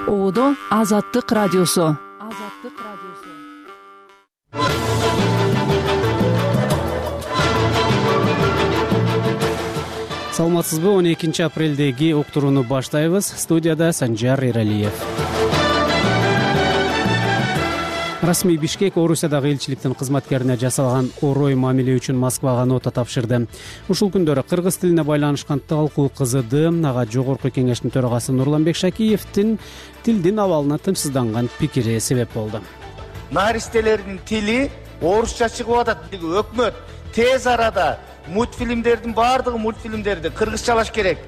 Оодо Азаттык радиосу. Саламатсызбы? 12 апрелдеги уктурууну баштайбыз. Студияда Санжар Эралиев. Расмий Бишкек Орусиядагы элчиликтин кызматкерине жасалган орой мамиле үчүн Москвага нота тапшырды. Ушул күндөрү кыргыз тилине байланышкан талкуу кызыды. Ага жогорку кеңештин төрагасы Нурланбек Шакиевдин тилдин абалына тынчсызданган пикири себеп болду. Наристелердин тили орусча чыгып атат. Өкмөт тез арада мультфильмдердин баардыгы мультфильмдерди кыргызчалаш керек.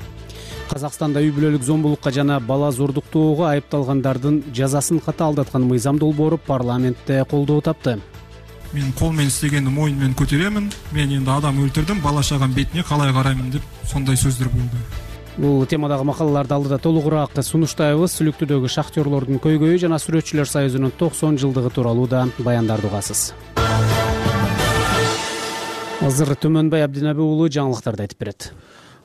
Казакстанда үй бүлөлүк зомбулукка жана бала зордуктоого айыпталгандардын жазасын катаалдаткан мыйзам долбоору парламентте колдоо тапты. Мен кол менен истегенди моюн менен көтөрөмүн. Мен энди адам өлтүрдүм, бала чагам бетине калай караймын деп сондай сөздөр болду. Бул темадагы макалаларды алдыда толугураак сунуштайбыз. Сүлүктүүдөгү шахтерлордун көйгөйү жана сүрөтчүлөр союзунун 90 жылдыгы тууралуу да баяндарды угасыз. Азыр Төмөнбай Абдинаби уулу жаңылыктарды айтып берет.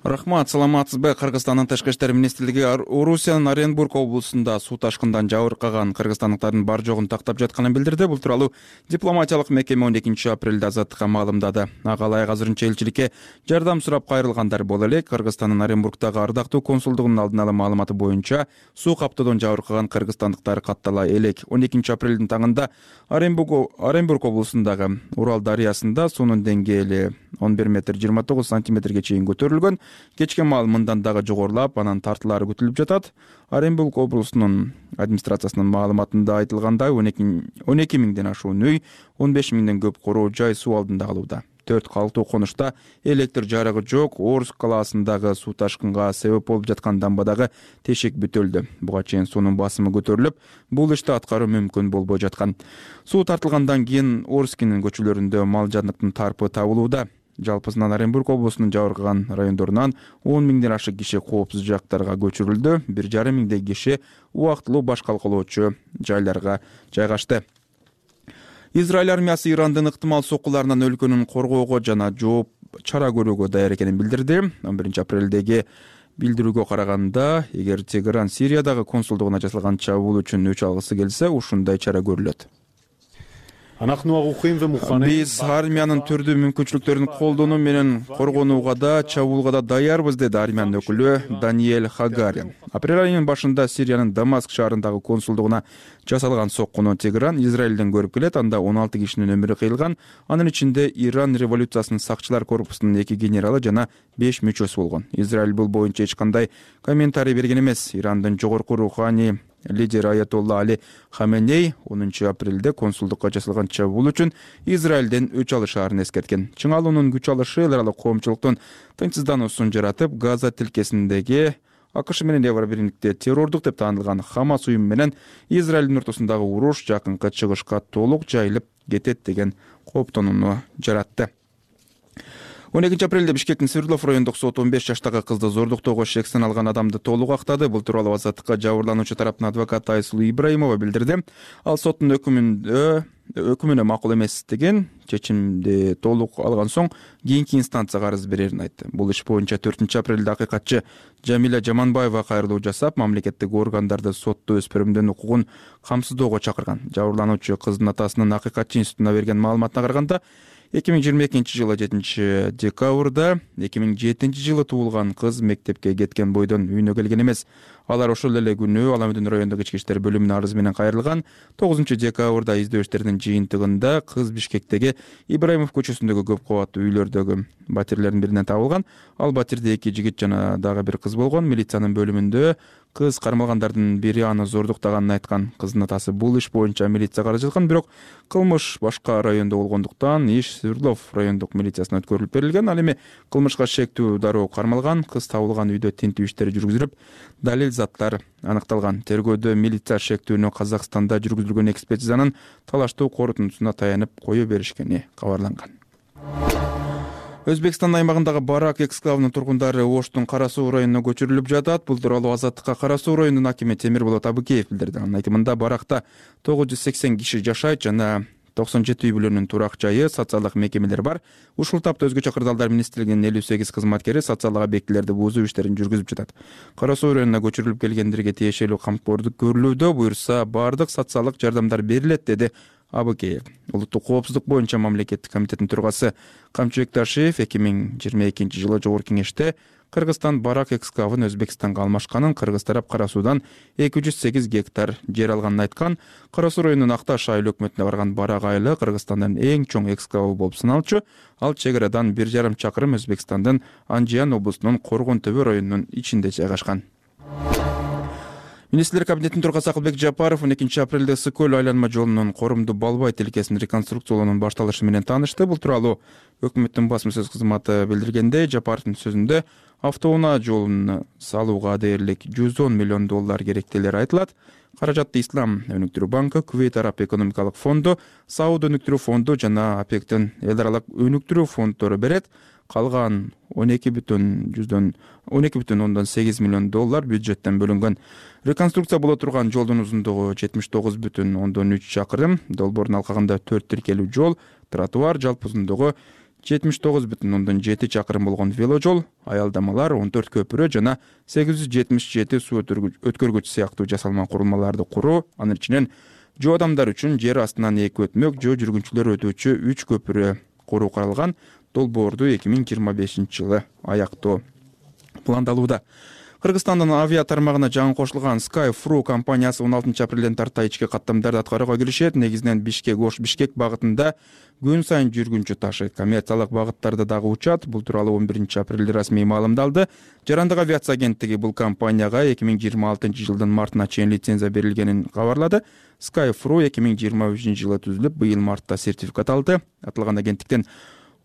Рахмат, саламатсызбы? Кыргызстандын Тышкы иштер министрлиги Орусиянын Оренбург облусунда суу ташкындан жабыркаган кыргызстандыктардын бар жогун тактап жатканын билдирди. Бул тууралуу дипломатиялык мекеме 12 апрелде Азаттыкка маалымдады. Ага ылайык азырынча элчиликке жардам сурап кайрылгандар боло элек. Кыргызстандын Оренбургдагы ардактуу консулдугунун алдын ала маалыматы боюнча суу каптоодон жабыркаган кыргызстандыктар каттала элек. 12 апрелдин таңында Оренбург облусундагы Урал дарыясында суунун деңгээли 11 метр 29 сантиметрге чейин көтөрүлгөн. Кечке маал мындан дагы жогорулап, анан тартылары күтүлүп жатат. Оренбург облусунун администрациясынын маалыматында айтылгандай 12 миңден ашуун үй, 15 миңден көп короо жай суу алдында калууда. 4 калктуу конушта электр жарыгы жок. Орск калаасындагы суу ташкынга себеп болуп жаткан дамбадагы тешек бүтөлдү. Буга чейин суунун басымы көтөрүлүп, бул ишти аткаруу мүмкүн болбой жаткан. Суу тартылгандан кийин Орскинин көчөлөрүндө мал жандыктын тарпы табылууда. Жалпысынан Оренбург облусунун жабыркаган райондорунан 10 миңден ашык киши коопсуз жактарга көчүрүлдү. 1,5 миңдей киши убактылуу башкалкалоочу жайларга жайгашты. Израиль армиясы Ирандын ыктымал соккуларынан өлкөнүн коргоого жана жооп чара көрүүгө даяр экенин билдирди. 11 апрелдеги билдирүүгө караганда, эгер Тегеран Сириядагы консулдугуна жасалган чабуул үчүн өч алгысы келсе, ушундай чара көрүлөт. Биз армиянын түрдүү мүмкүнчүлүктөрүн колдонуу менен коргонууга да, чабуулга да даярбыз, деди армиянын өкүлү Даниэль Хагари. Апрель айынын башында Сириянын Дамаск шаарындагы консулдугуна жасалган соккуну Тегеран Израилден көрүп келет. Анда 16 кишинин өмүрү кыйылган. Анын ичинде Иран революциясынын сакчылар корпусунун 2 генералы жана 5 мүчөсү болгон. Израиль бул боюнча эч кандай комментарий берген эмес. Ирандын жогорку руханий лидер Аятолла Али Хаменей 10 апрелде консулдукка жасалган чабуул үчүн Израилден өч алышаарын эскерткен. Чыңалуунун күч алышы эл аралык коомчулуктун тынчсыздануусун жаратып, Газа тилкесиндеги АКШ менен Евробирликте террордук деп таанылган Хамас уюму менен Израилдин ортосундагы уруш жакынкы чыгышка толук жайылып кетет деген кооптонууну жаратты. 12 апрелде Бишкектин Свердлов райондук соту 15 жаштагы кызды зордуктоого шектен алган адамды толук актады. Бул тууралуу Азаттыкка жабырлануучу тараптын адвокаты Айсулуу Ибраимова билдирди. Ал соттун өкүмүнө макул эместигин, чечимди толук алган соң кийинки инстанцияга арыз берерин айтты. Бул иш боюнча 4 апрелде акыйкатчы Жамиля Жаманбаева кайрылуу жасап, мамлекеттик органдарды сотто өспүрүмдүн укугун камсыздоого чакырган. Жабырлануучу кыздын атасынын акыйкатчы институтуна берген маалыматына караганда, 2022 жылы 7 декабрда 2007 жылы туулган кыз мектепке кеткен бойдон үйүнө келген эмес. Алар ошол эле күнү Аламүдүн райондук ички иштер бөлүмүнө арыз менен кайрылган. 9 декабрда издөө иштеринин жыйынтыгында кыз Бишкектеги Ибраимов көчөсүндөгү көп кабаттуу үйлөрдөгү батирлердин биринен табылган. Ал батирде 2 жигит жана дагы бир кыз болгон. Милициянын бөлүмүндө кыз кармалгандардын бири аны зордуктаганын айткан. Кыздын атасы бул иш боюнча милицияга арыз жазган, бирок кылмыш башка райондо болгондуктан иш Свердлов райондук милициясына өткөрүлүп берилген. Ал эми кылмышка шектүү дароо кармалган. Кыз табылган үйдө тинтүү иштери жүргүзүлүп, далил заттар аныкталган. Тергөөдө милиция шектүүнү Казакстанда жүргүзүлгөн экспертизанын талаштуу корутундусуна таянып кое беришкени кабарланган. Өзбекстан аймагындагы Барак эксклавынын тургундары Оштун Кара Суу районуна көчүрүлүп жатат. Бул тууралуу Азаттыкка Кара Суу районунун акими Темирболот Абыкеев билдирди. Анын айтымында Баракта 980 киши жашайт жана 97 үй бүлөнүн турак жайы, социалдык мекемелер бар. Ушул тапта өзгөчө кырдаалдар министрлигинин 58 кызматкери социалдык объектилерди бузуу иштерин жүргүзүп жатат. Кара Суу районуна көчүрүлүп келгендерге тиешелүү камкордук көрүлүүдө, буюрса баардык социалдык жардамдар берилет, деди Абыкеев. Улуттук коопсуздук боюнча мамлекеттик комитеттин төрагасы Камчыбек Ташиев 2022 жылы Жогорку кеңеште Кыргызстан барак экскавын Өзбекстанга алмашканын, кыргыз тарап Кара Суудан 208 гектар жер алганын айткан. Кара Суу районунун Акташ айыл өкмөтүнө барган барак айылы Кыргызстандын эң чоң экскавы болуп саналчу. Ал чек арадан 1,5 чакырым Өзбекстандын Анжиян облусунун Коргон Төбө районунун ичинде жайгашкан. Министрлер кабинетинин төрагасы Акылбек Жапаров 12 апрелде Ысык көл айланма жолунун Корумду Балбай тилкесин реконструкциялоонун башталышы менен таанышты. Бул тууралуу өкмөттүн басма сөз кызматы билдиргенде, Жапаровдун сөзүндө автоунаа жолун салууга дээрлик $110 миллион керектелери айтылат. Каражатты Ислам өнүктүрүү банкы, Кувейт Араб экономикалык фонду, Сауд өнүктүрүү фонду жана АПЕКтин эл аралык өнүктүрүү фонддору берет. Калган $12,8 миллион бюджеттен бөлүнгөн. Реконструкция боло турган жолдун узундугу 79,3 чакырым, долбоордун алкагында 4 тиркелүү жол, тротуар, жалпы узундугу 79,7 чакырым болгон веложол, аялдамалар, 14 көпүрө жана 877 суу өткөргүч сыяктуу жасалма курулмаларды куруу, анын ичинен жөө адамдар үчүн жер астынан эки өтмөк, жөө жүргүнчүлөр өтүүчү 3 көпүрө куруу каралган. Долбоорду 2025 жылы аяктоо пландалууда. Кыргызстандын авиа тармагына жаңы кошулган Skyfru компаниясы 16 апрелден тарта ички каттамдарды аткарууга киришет. Негизинен Бишкек Багытында күн сайын жүргүнчү ташыйт. Коммерциялык багыттарда дагы учат. Бул тууралуу 11 апрелде расмий маалымдалды. Жарандык авиация агенттиги бул компанияга 2026 жылдын мартына чейин лицензия берилгенин кабарлады. Skyfru 2023 жылы түзүлүп, быйыл мартта сертификат алды. Аталган агенттиктен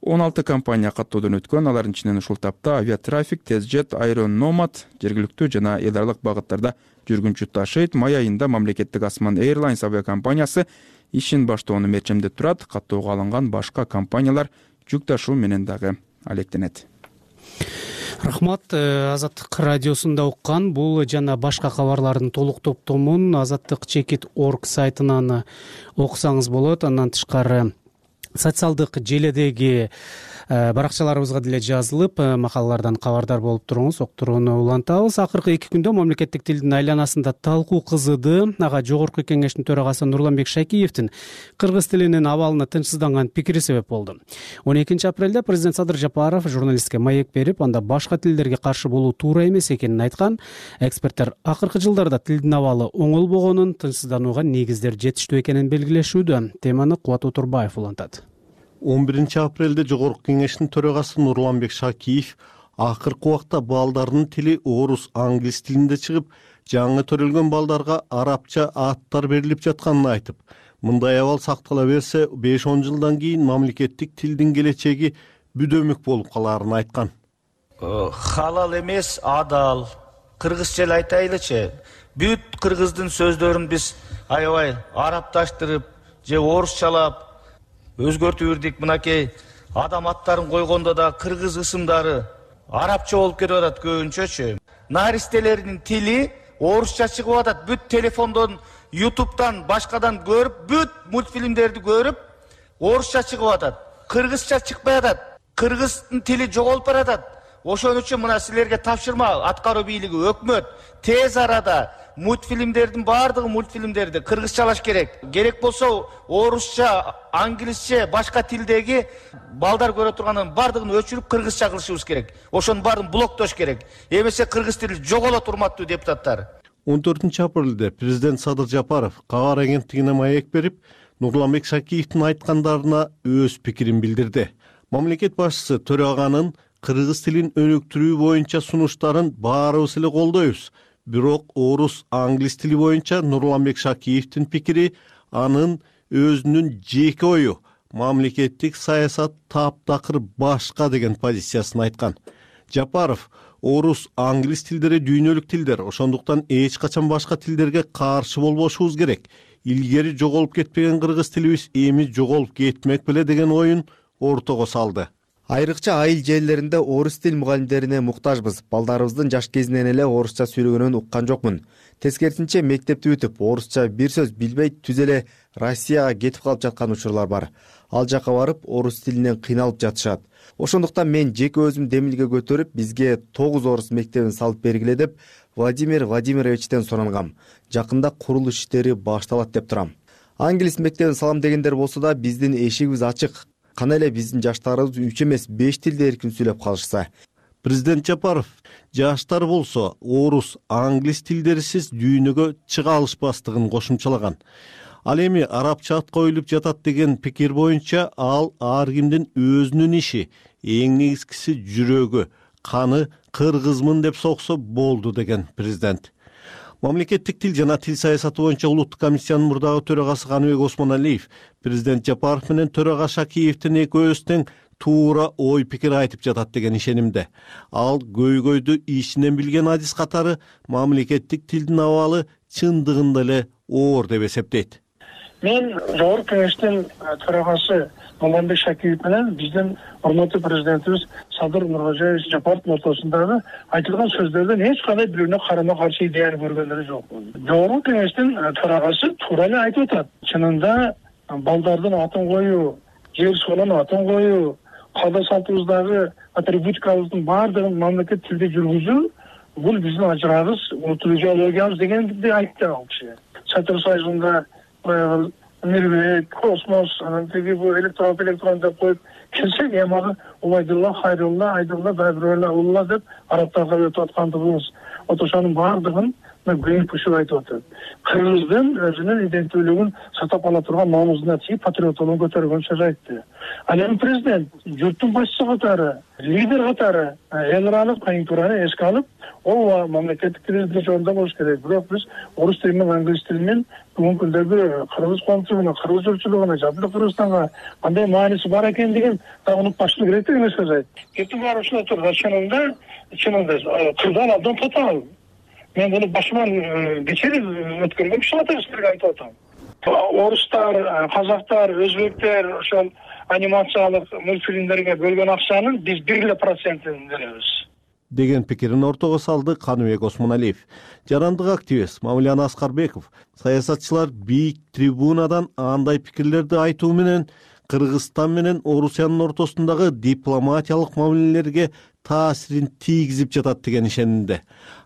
16 компания каттоодон өткөн. Алардын ичинен ушул тапта Авиатрафик, Тезжет, Аэроnomad жергиликтүү жана эл аралык багыттарда жүргүнчү ташыйт. Май айында мамлекеттик Асман Airlines авиакомпаниясы ишин баштоону мерчемдеп турат. Каттоого алынган башка компаниялар жүк ташуу менен дагы алектенет. Рахмат. Азаттык радиосунда уккан бул жана башка кабарлардын толук топтомун azattik.org сайтынан окусаңыз болот. Андан тышкары социалдык желедеги баракчаларыбызга деле жазылып, макалалардан кабардар болуп туруңуз, октурууну улантабыз. Акыркы 2 күндө мамлекеттик тилдин айланасында талкуу кызыды. Ага Жогорку кеңештин төрагасы Нурланбек Шакиевдин кыргыз тилинин абалына тынчсызданган пикири себеп болду. 12 апрелде президент Садыр Жапаров журналистке маек берип, анда башка тилдерге каршы болуу туура эмес экенин айткан. Эксперттер акыркы жылдарда тилдин абалы оңолбогонун, тынчсызданууга негиздер жетиштүү экенин белгилешүүдө. Теманы Кубат Отурбаев улантат. 11 апрелде Жогорку кеңештин төрагасы Нурланбек Шакиев акыркы убакта балдардын тили орус, англис тилинде чыгып, жаңы төрөлгөн балдарга арабча аттар берилип жатканын айтып, мындай абал сактала берсе 5-10 жылдан кийин мамлекеттик тилдин келечеги бүдөмүк болуп каларын айткан. Халал эмес, адал. Кыргызча эле айтайлычы. Бүт кыргыздын сөздөрүн биз аябай арабташтырып, же орусчалап өзгөртүп үрдүк. Мынакей адам аттарын койгондо да кыргыз ысымдары арабча болуп кетип атат көбүнчөчү. Наристелердин тили орусча чыгып атат. Бүт телефондон, YouTube'дан, башкадан көрүп, бүт мультфильмдерди көрүп, орусча чыгып атат. Кыргызча чыкпай атат. Кыргыздын тили жоголуп баратат. Ошон үчүн мына силерге тапшырма, аткаруу бийлиги, өкмөт тез арада баардыгы мультфильмдерди кыргызчалаш керек. Керек болсо орусча, англисче, башка тилдеги балдар көрө турганын баардыгын өчүрүп кыргызча кылышыбыз керек. Ошонун баарын блоктош керек. Эмесе кыргыз тили жоголот, урматтуу депутаттар. 14 апрелде президент Садыр Жапаров кабар агенттигине маек берип, Нурланбек Шакиевдин айткандарына өз пикирин билдирди. Мамлекет башчысы төраганын кыргыз тилин өнүктүрүү боюнча сунуштарын баарыбыз эле колдойбуз. Бирок орус, англис тили боюнча Нурланбек Шакиевдин пикири анын өзүнүн жеке ою. Мамлекеттик саясат таптакыр башка деген позициясын айткан. Жапаров орус, англис тилдери дүйнөлүк тилдер, ошондуктан эч качан башка тилдерге каршы болбошубуз керек. Илгери жоголуп кетпеген кыргыз тилибиз эми жоголуп кетмек беле деген оюн ортого салды. Айрыкча айыл жерлеринде орус тил мугалимдерине муктажбыз. Балдарыбыздын жаш кезинен эле орусча сүйлөгөнүн уккан жокмун. Тескерисинче мектепти бүтүп, орусча бир сөз билбей түз эле Россияга кетип калып жаткан учурлар бар. Ал жака барып орус тилинен кыйналып жатышат. Ошондуктан мен жеке өзүм демилге көтөрүп, бизге 9 орус мектебин салып бергиле деп Владимир Владимировичтен сурангам. Жакында курулуш иштери башталат деп турам. Англис мектебин салам дегендер болсо да биздин эшигибиз ачык. Кана эле биздин жаштарыбыз 3 эмес 5 тилде эркин сүйлөп калышса. Президент Жапаров жаштар болсо орус, англис тилдерисиз дүйнөгө чыга алышпастыгын кошумчалаган. Ал эми арабча ат коюлуп жатат деген пикир боюнча ал ар кимдин өзүнүн иши, эң негизгиси жүрөгү, каны кыргызмын деп соксо болду деген президент. Мамлекеттик тил жана тил саясаты боюнча улуттук комиссиянын мурдагы төрагасы Каныбек Осмоналиев президент Жапаров менен төрага Шакиевдин экөөбүз тең туура ой пикир айтып жатат деген ишенимде. Ал көйгөйдү ичинен билген адис катары мамлекеттик тилдин абалы чындыгында эле оор деп эсептейт. Мен Жогорку Кеңештин төрагасы Маманбек Шакиев менен биздин урматтуу президентибиз Садыр Нуркожоевич Жапаровдун ортосундагы айтылган сөздөрдөн эч кандай бирине карама каршы идеяны көргөндөр жок. Жогорку Кеңештин төрагасы туура эле айтып атат. Чынында балдардын атын коюу, жер суунун атын коюу, каада салтыбыздагы атрибутикабыздын баардыгын мамлекет тилде жүргүзүү бул биздин ажырагыбыз, улуттук идеологиябыз дегенди айтты ал киши. Чатыр Союзунда Мирбек, Космос, анан тиги бу электрон деп коюп келсек, эми Убайдулла, Хайрулла, Айдулла, Байбирулла деп арабтарга өтүп аткандыгыбыз. Ошонун баардыгын көйүп пушуп айтып атат. Кыргыздын өзүнүн иденттүүлүгүн сактап кала турган намысына тийип патриоттугун көтөргөн сөз айтты. Ал эми президент журттун башчысы катары, лидер катары эл аралык конъюнктураны эске алып, ооба мамлекеттик тилибизди жөнүндө болуш керек. Бирок биз орус тили менен англис тили менен бүгүнкү күндөгү кыргыз коомчулугуна, кыргыз журтчулугуна, Жапон Кыргызстанга кандай мааниси бар экендигин да унутпашлык керек деген сөз айтты. Кетип барып ушунда турган чынында кырдан абдан татаал. Мен буну башыман кечирип өткөргөн кишилерге силерге айтып атам. Орустар, казактар, өзбектер ошол анимациялык мультфильмдерге бөлгөн акчанын биз 1% беребиз деген пикирин ортого салды Каныбек Осмоналиев. Жарандык активист Мамилан Аскарбеков саясатчылар бийик трибунадан андай пикирлерди айтуу менен Кыргызстан менен Орусиянын ортосундагы дипломатиялык мамилелерге таасирин тийгизип жатат деген ишенимде.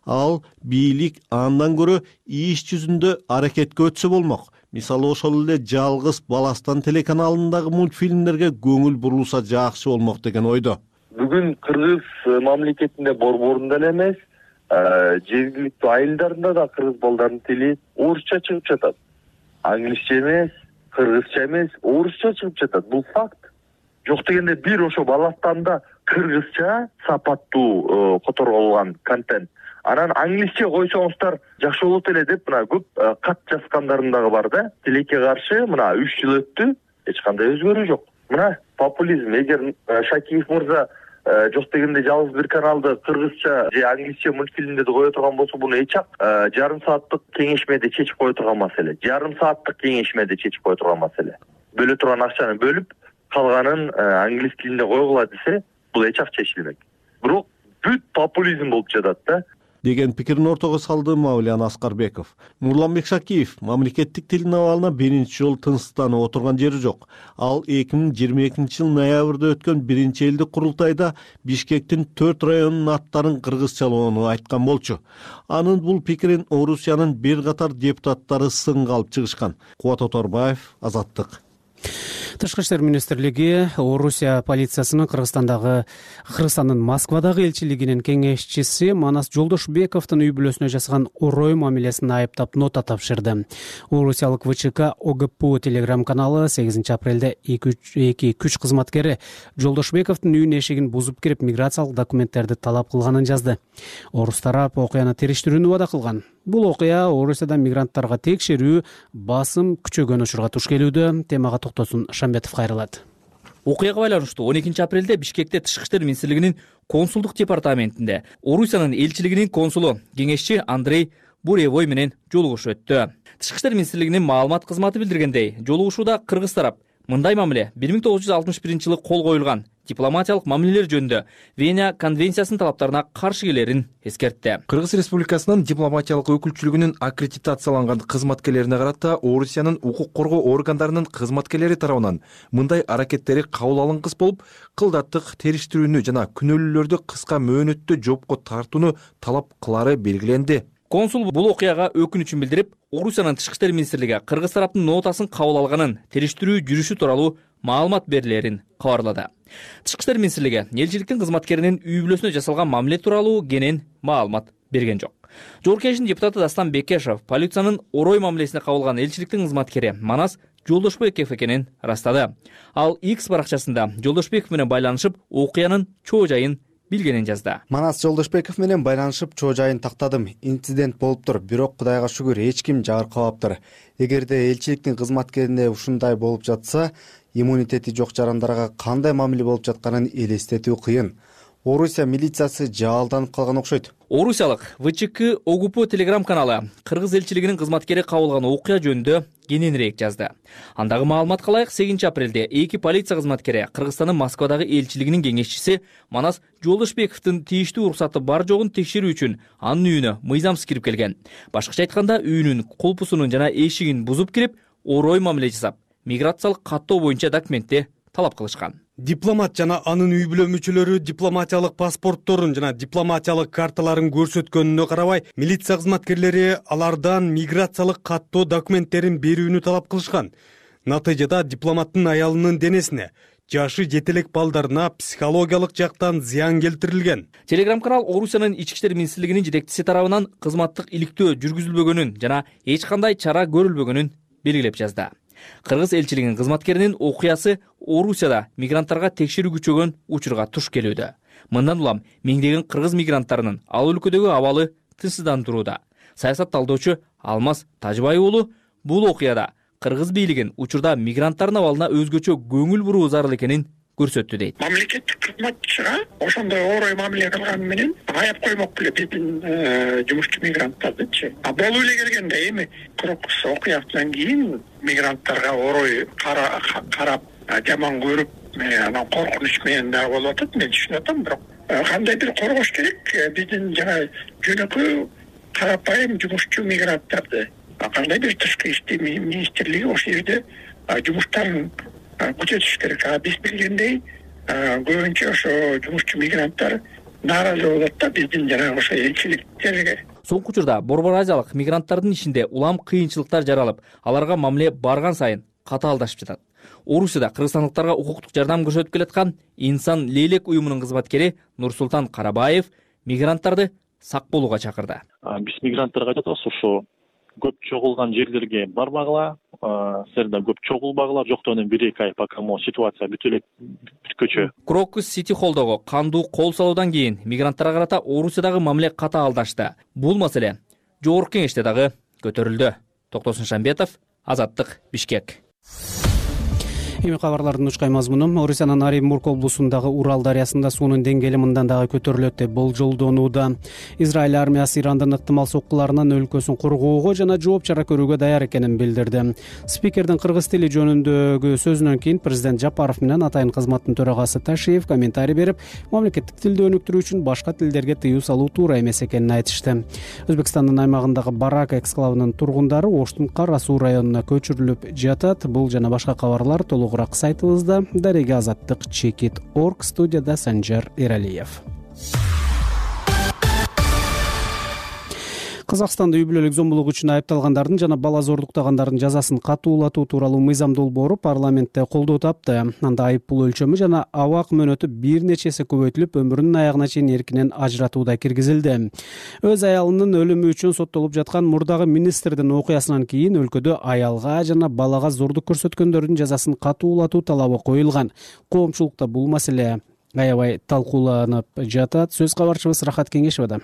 Ал бийлик андан көрө иш жүзүндө аракетке өтсө болмок. Мисалы ошол эле Жалгыз Баластан телеканалындагы мультфильмдерге көңүл бурулса жакшы болмок деген ойдо. Бүгүн Кыргыз мамлекетинде борборунда эле эмес, жергиликтүү айылдарында да кыргыз балдарынын тили орусча чыгып жатат. Англисче эмес, кыргызча эмес, орусча чыгып жатат. Бул факт. Жок дегенде бир ошо Баластанда кыргызча сапаттуу которулган контент. Анан англисче койсоңуздар жакшы болот эле деп мына көп кат жазгандарым дагы бар да. Тилекке каршы мына 3 жыл өттү, эч кандай өзгөрүү жок. Мына популизм. Эгер Шакиев мырза жок дегенде жалгыз бир каналды кыргызча же англисче мультфильмдерди кое турган болсо, буну эч ак жарым сааттык кеңешмеде чечип кое турган маселе. Жарым сааттык кеңешмеде чечип кое турган маселе. Бөлө турган акчаны бөлүп, калганын англис тилинде койгула десе, бул эч ак чечилмек. Бирок бүт популизм болуп жатат да. Деген пикирин ортого салды Мамилан Аскарбеков. Нурланбек Шакиев мамлекеттик тилдин абалына биринчи жолу тынчсызданып отурган жери жок. Ал 2022 жыл ноябрда өткөн биринчи элдик курултайда Бишкектин 4 районунун аттарын кыргызчалоону айткан болчу. Анын бул пикирин Орусиянын бир катар депутаттары сынга алып чыгышкан. Кубат Оторбаев, Азаттык. Тышкы иштер министрлиги Орусия полициясынын Кыргызстандын Москвадагы элчилигинин кеңешчиси Манас Жолдошбековдун үй бүлөсүнө жасаган орой мамилесин айыптап нота тапшырды. Орусиялык ВЧК ОГПУ телеграм-каналы 8 апрелде 2 күч кызматкери Жолдошбековдун үйүнүн эшигин бузуп кирип миграциялык документтерди талап кылганын жазды. Орус тарап окуяны териштирүүнү убада кылган. Бул окуя Орусияда мигранттарга текшерүү, басым күчөгөн учурга туш келүүдө. Темага токтосун Шамбетов кайрылат. Окуяга байланыштуу 12 апрелде Бишкекте Тышкы иштер министрлигинин консулдук департаментинде Орусиянын элчилигинин консулу кеңешчи Андрей Буревой менен жолугушуу өттү. Тышкы иштер министрлигинин маалымат кызматы билдиргендей, жолугушууда кыргыз тарап мындай мамиле 1961-жылы кол коюлган дипломатиялык мамилелер жөнүндө Вена конвенциясынын талаптарына каршы келерин эскертти. Кыргыз Республикасынын дипломатиялык өкүлчүлүгүнүн аккредитацияланган кызматкерлерине карата Орусиянын укук коргоо органдарынын кызматкерлери тарабынан мындай аракеттери кабыл алынгыс болуп, кылдаттык териштирүүнү жана күнөөлүүлөрдү кыска мөөнөттө жоопко тартууну талап кылары белгиленди. Консул бул окуяга өкүнүчүн билдирип, Орусиянын тышкы иштер министрлиги Кыргыз тараптын нотасын кабыл алганын, териштирүү жүрүшү тууралуу маалымат берилерин кабарлады. Тышкы иштер министрлиги элчиликтин кызматкеринин үй бүлөсүнө жасалган мамиле тууралуу кенен маалымат берген жок. Жогорку Кеңештин депутаты Дастан Бекешев полициянын орой мамилесине кабылган элчиликтин кызматкери Манас Жолдошбеков экенин растады. Ал X баракчасында Жолдошбеков менен байланышып, окуянын чоо жайын билгенин жазды. Манас Жолдошбеков менен байланышып чоо жайын тактадым. Инцидент болуптур, бирок Кудайга шүгүр эч ким жабыркабаптыр. Эгерде элчиликтин кызматкерине ушундай болуп жатса, иммунитети жок жарандарга кандай мамиле болуп жатканын элестетүү кыйын. Орусия милициясы жаалданып калган окшойт. Орусиялык ВЧК ОГУП телеграм каналы Кыргыз элчилигинин кызматкери кабылган окуя жөнүндө кененирээк жазды. Андагы маалыматка ылайык 8 апрелде эки полиция кызматкери Кыргызстандын Москвадагы элчилигинин кеңешчиси Манас Жолдошбековдун тийиштүү уруксаты бар жогун текшерүү үчүн анын үйүнө мыйзамсыз кирип келген. Башкача айтканда, үйүнүн кулпусунун жана эшигин бузуп кирип, орой мамиле жасап, миграциялык каттоо боюнча документти талап кылышкан. Дипломат жана анын үй бүлө мүчөлөрү дипломатиялык паспортторун жана дипломатиялык карталарын көрсөткөнүнө карабай, милиция кызматкерлери алардан миграциялык каттоо документтерин берүүнү талап кылышкан. Натыйжада дипломаттын аялынын денесине, жашы жетелек балдарына психологиялык жактан зыян келтирилген. Телеграм канал Орусиянын ички иштер министрлигинин жетекчиси тарабынан кызматтык иликтөө жүргүзүлбөгөнүн жана эч кандай чара көрүлбөгөнүн белгилеп жазды. Кыргыз элчилигинин кызматкеринин окуясы Орусияда мигранттарга текшерүү күчөгөн учурга туш келүүдө. Мындан улам миңдеген кыргыз мигранттарынын ал өлкөдөгү абалы тынчсыздандырууда. Саясат талдоочу Алмаз Тажыбай уулу бул окуяда кыргыз бийлигин учурда мигранттардын абалына өзгөчө көңүл буруу зарыл экенин көрсөттү дейт. Мамлекеттик кызматчыга ошондой орой мамиле кылганы менен аяп коймок беле биздин жумушчу мигранттардычы. Болуп эле келгенде эми Крокус окуясынан кийин мигранттарга орой карап жаман көрүп, анан коркунуч менен дагы болуп атат. Мен түшүнүп атам, бирок кандай бир коргош керек биздин жана жөнөкөй карапайым жумушчу мигранттарды. Кандай бир тышкы иштер министрлиги ошол жерде жумуштарын күчөтүш керек. Биз билгендей, көбүнчө ошо жумушчу мигранттар нааразы болот да биздин жанагы ошо элчиликтерге. Соңку учурда Борбор Азиялык мигранттардын ишинде улам кыйынчылыктар жаралып, аларга мамиле барган сайын катаалдашып жатат. Орусияда кыргызстандыктарга укуктук жардам көрсөтүп келаткан Инсан Лелек уюмунун кызматкери Нурсултан Карабаев мигранттарды сак болууга чакырды. Биз мигранттарга айтабыз, ошо көп чогулган жерлерге барбагыла, силерде көп чогулбагыла, жоктогунан 1-2 ай пока ситуация бүтө элек бүткөчө. Крокус Сити холдогу кандуу кол салуудан кийин мигранттарга карата Орусиядагы мамиле катаалдашты. Бул маселе Жогорку Кеңеште дагы көтөрүлдү. Токтосун Шамбетов, Азаттык, Бишкек. Эми кабарлардын учкай мазмуну: Орусиянын Оренбург облусундагы Урал дарыясында суунун деңгээли мындан дагы көтөрүлөт деп болжолдонууда. Израиль армиясы Ирандын ыктымал соккуларынан өлкөсүн коргоого жана жооп чара көрүүгө даяр экенин билдирди. Спикердин кыргыз тили жөнүндөгү сөзүнөн кийин президент Жапаров менен атайын кызматтын төрагасы Ташиев комментарий берип, мамлекеттик тилди өнүктүрүү үчүн башка тилдерге тыюу салуу туура эмес экенин айтышты. Өзбекстандын аймагындагы Барак эксклавынын тургундары Оштун Кара Суу районуна көчүрүлүп жатат. Бул жана башка кабарлар толугураак сайтыбызда. Дарега Азаттык, Чекит.орг. Студияда Санжар Эралиев. Казакстанда үй бүлөлүк зомбулук үчүн айыпталгандардын жана бала зордуктагандардын жазасын катуулатуу тууралуу мыйзам долбоору парламентте колдоо тапты. Анда айып пул өлчөмү жана абак мөөнөтү бир нече эсе көбөйтүлүп, өмүрүнүн аягына чейин эркинен ажыратууда киргизилди. Өз аялынын өлүмү үчүн соттолуп жаткан мурдагы министрдин окуясынан кийин өлкөдө аялга жана балага зордук көрсөткөндөрдүн жазасын катуулатуу талабы коюлган. Коомчулукта бул маселе аябай талкууланып жатат. Сөз кабарчыбыз Рахат Кеңешева.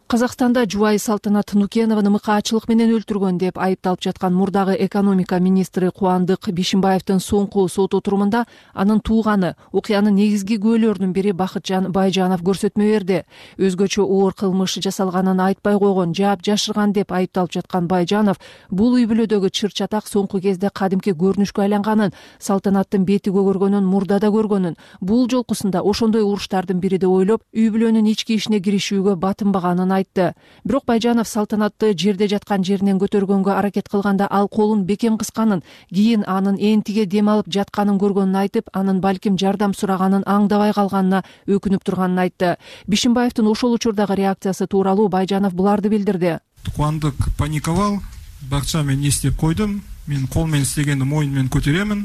Казакстанда жубайы Салтанат Нукенованы мыкаачылык менен өлтүргөн деп айыпталып жаткан мурдагы экономика министри Кубандык Бишимбаевдин соңку сот отурумунда анын тууганы, окуянын негизги күбөлөрүнүн бири Бакытжан Байжанов көрсөтмө берди. Өзгөчө оор кылмыш жасалганын айтпай койгон, жаап жашырган деп айыпталып жаткан Байжанов бул үй бүлөдөгү чыр-чатак соңку кезде кадимки көрүнүшкө айланганын, Салтанаттын бети көгөргөнүн мурда да көргөнүн, бул жолкусунда ошондой уруштардын бириде ойлоп, үй бүлөнүн ички ишине киришүүгө батынбаганын айтты. Бирок Байжанов Салтанатты жерде жаткан жеринен көтөргөнгө аракет кылганда ал колун бекем кысканын, кийин анын энтиге дем алып жатканын көргөнүн айтып, анын балким жардам сураганын аңдабай калганына өкүнүп турганын айтты. Бишимбаевдин ошол учурдагы реакциясы тууралуу Байжанов буларды билдирди. Кубандык паниковал, бакча мен не иштеп койдум, мен кол менен истегенди моюн менен көтөрөмүн,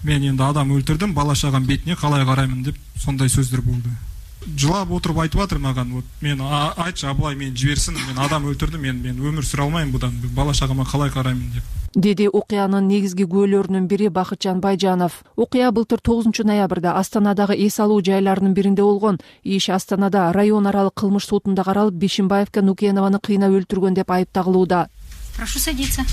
мен энди адам өлтүрдүм, бала чагам бетине калай караймын деп сондай сөздөр болду. Жылап отуруп айтып атыр маган, вот мен айтчы абылай мени жиберсин, мен адам өлтүрдүм, мен өмүр сүрө албайм будан, бала чагама калай караймын деп. Деди окуянын негизги күбөлөрүнүн бири Бакытжан Байжанов. Окуя былтыр 9 ноябрда Астанадагы эс алуу жайларынын биринде болгон. Иш Астанада район аралык кылмыш сотунда каралып, Бишимбаевка Нукенованы кыйнап өлтүргөн деп айып тагылууда. Прошу садиться.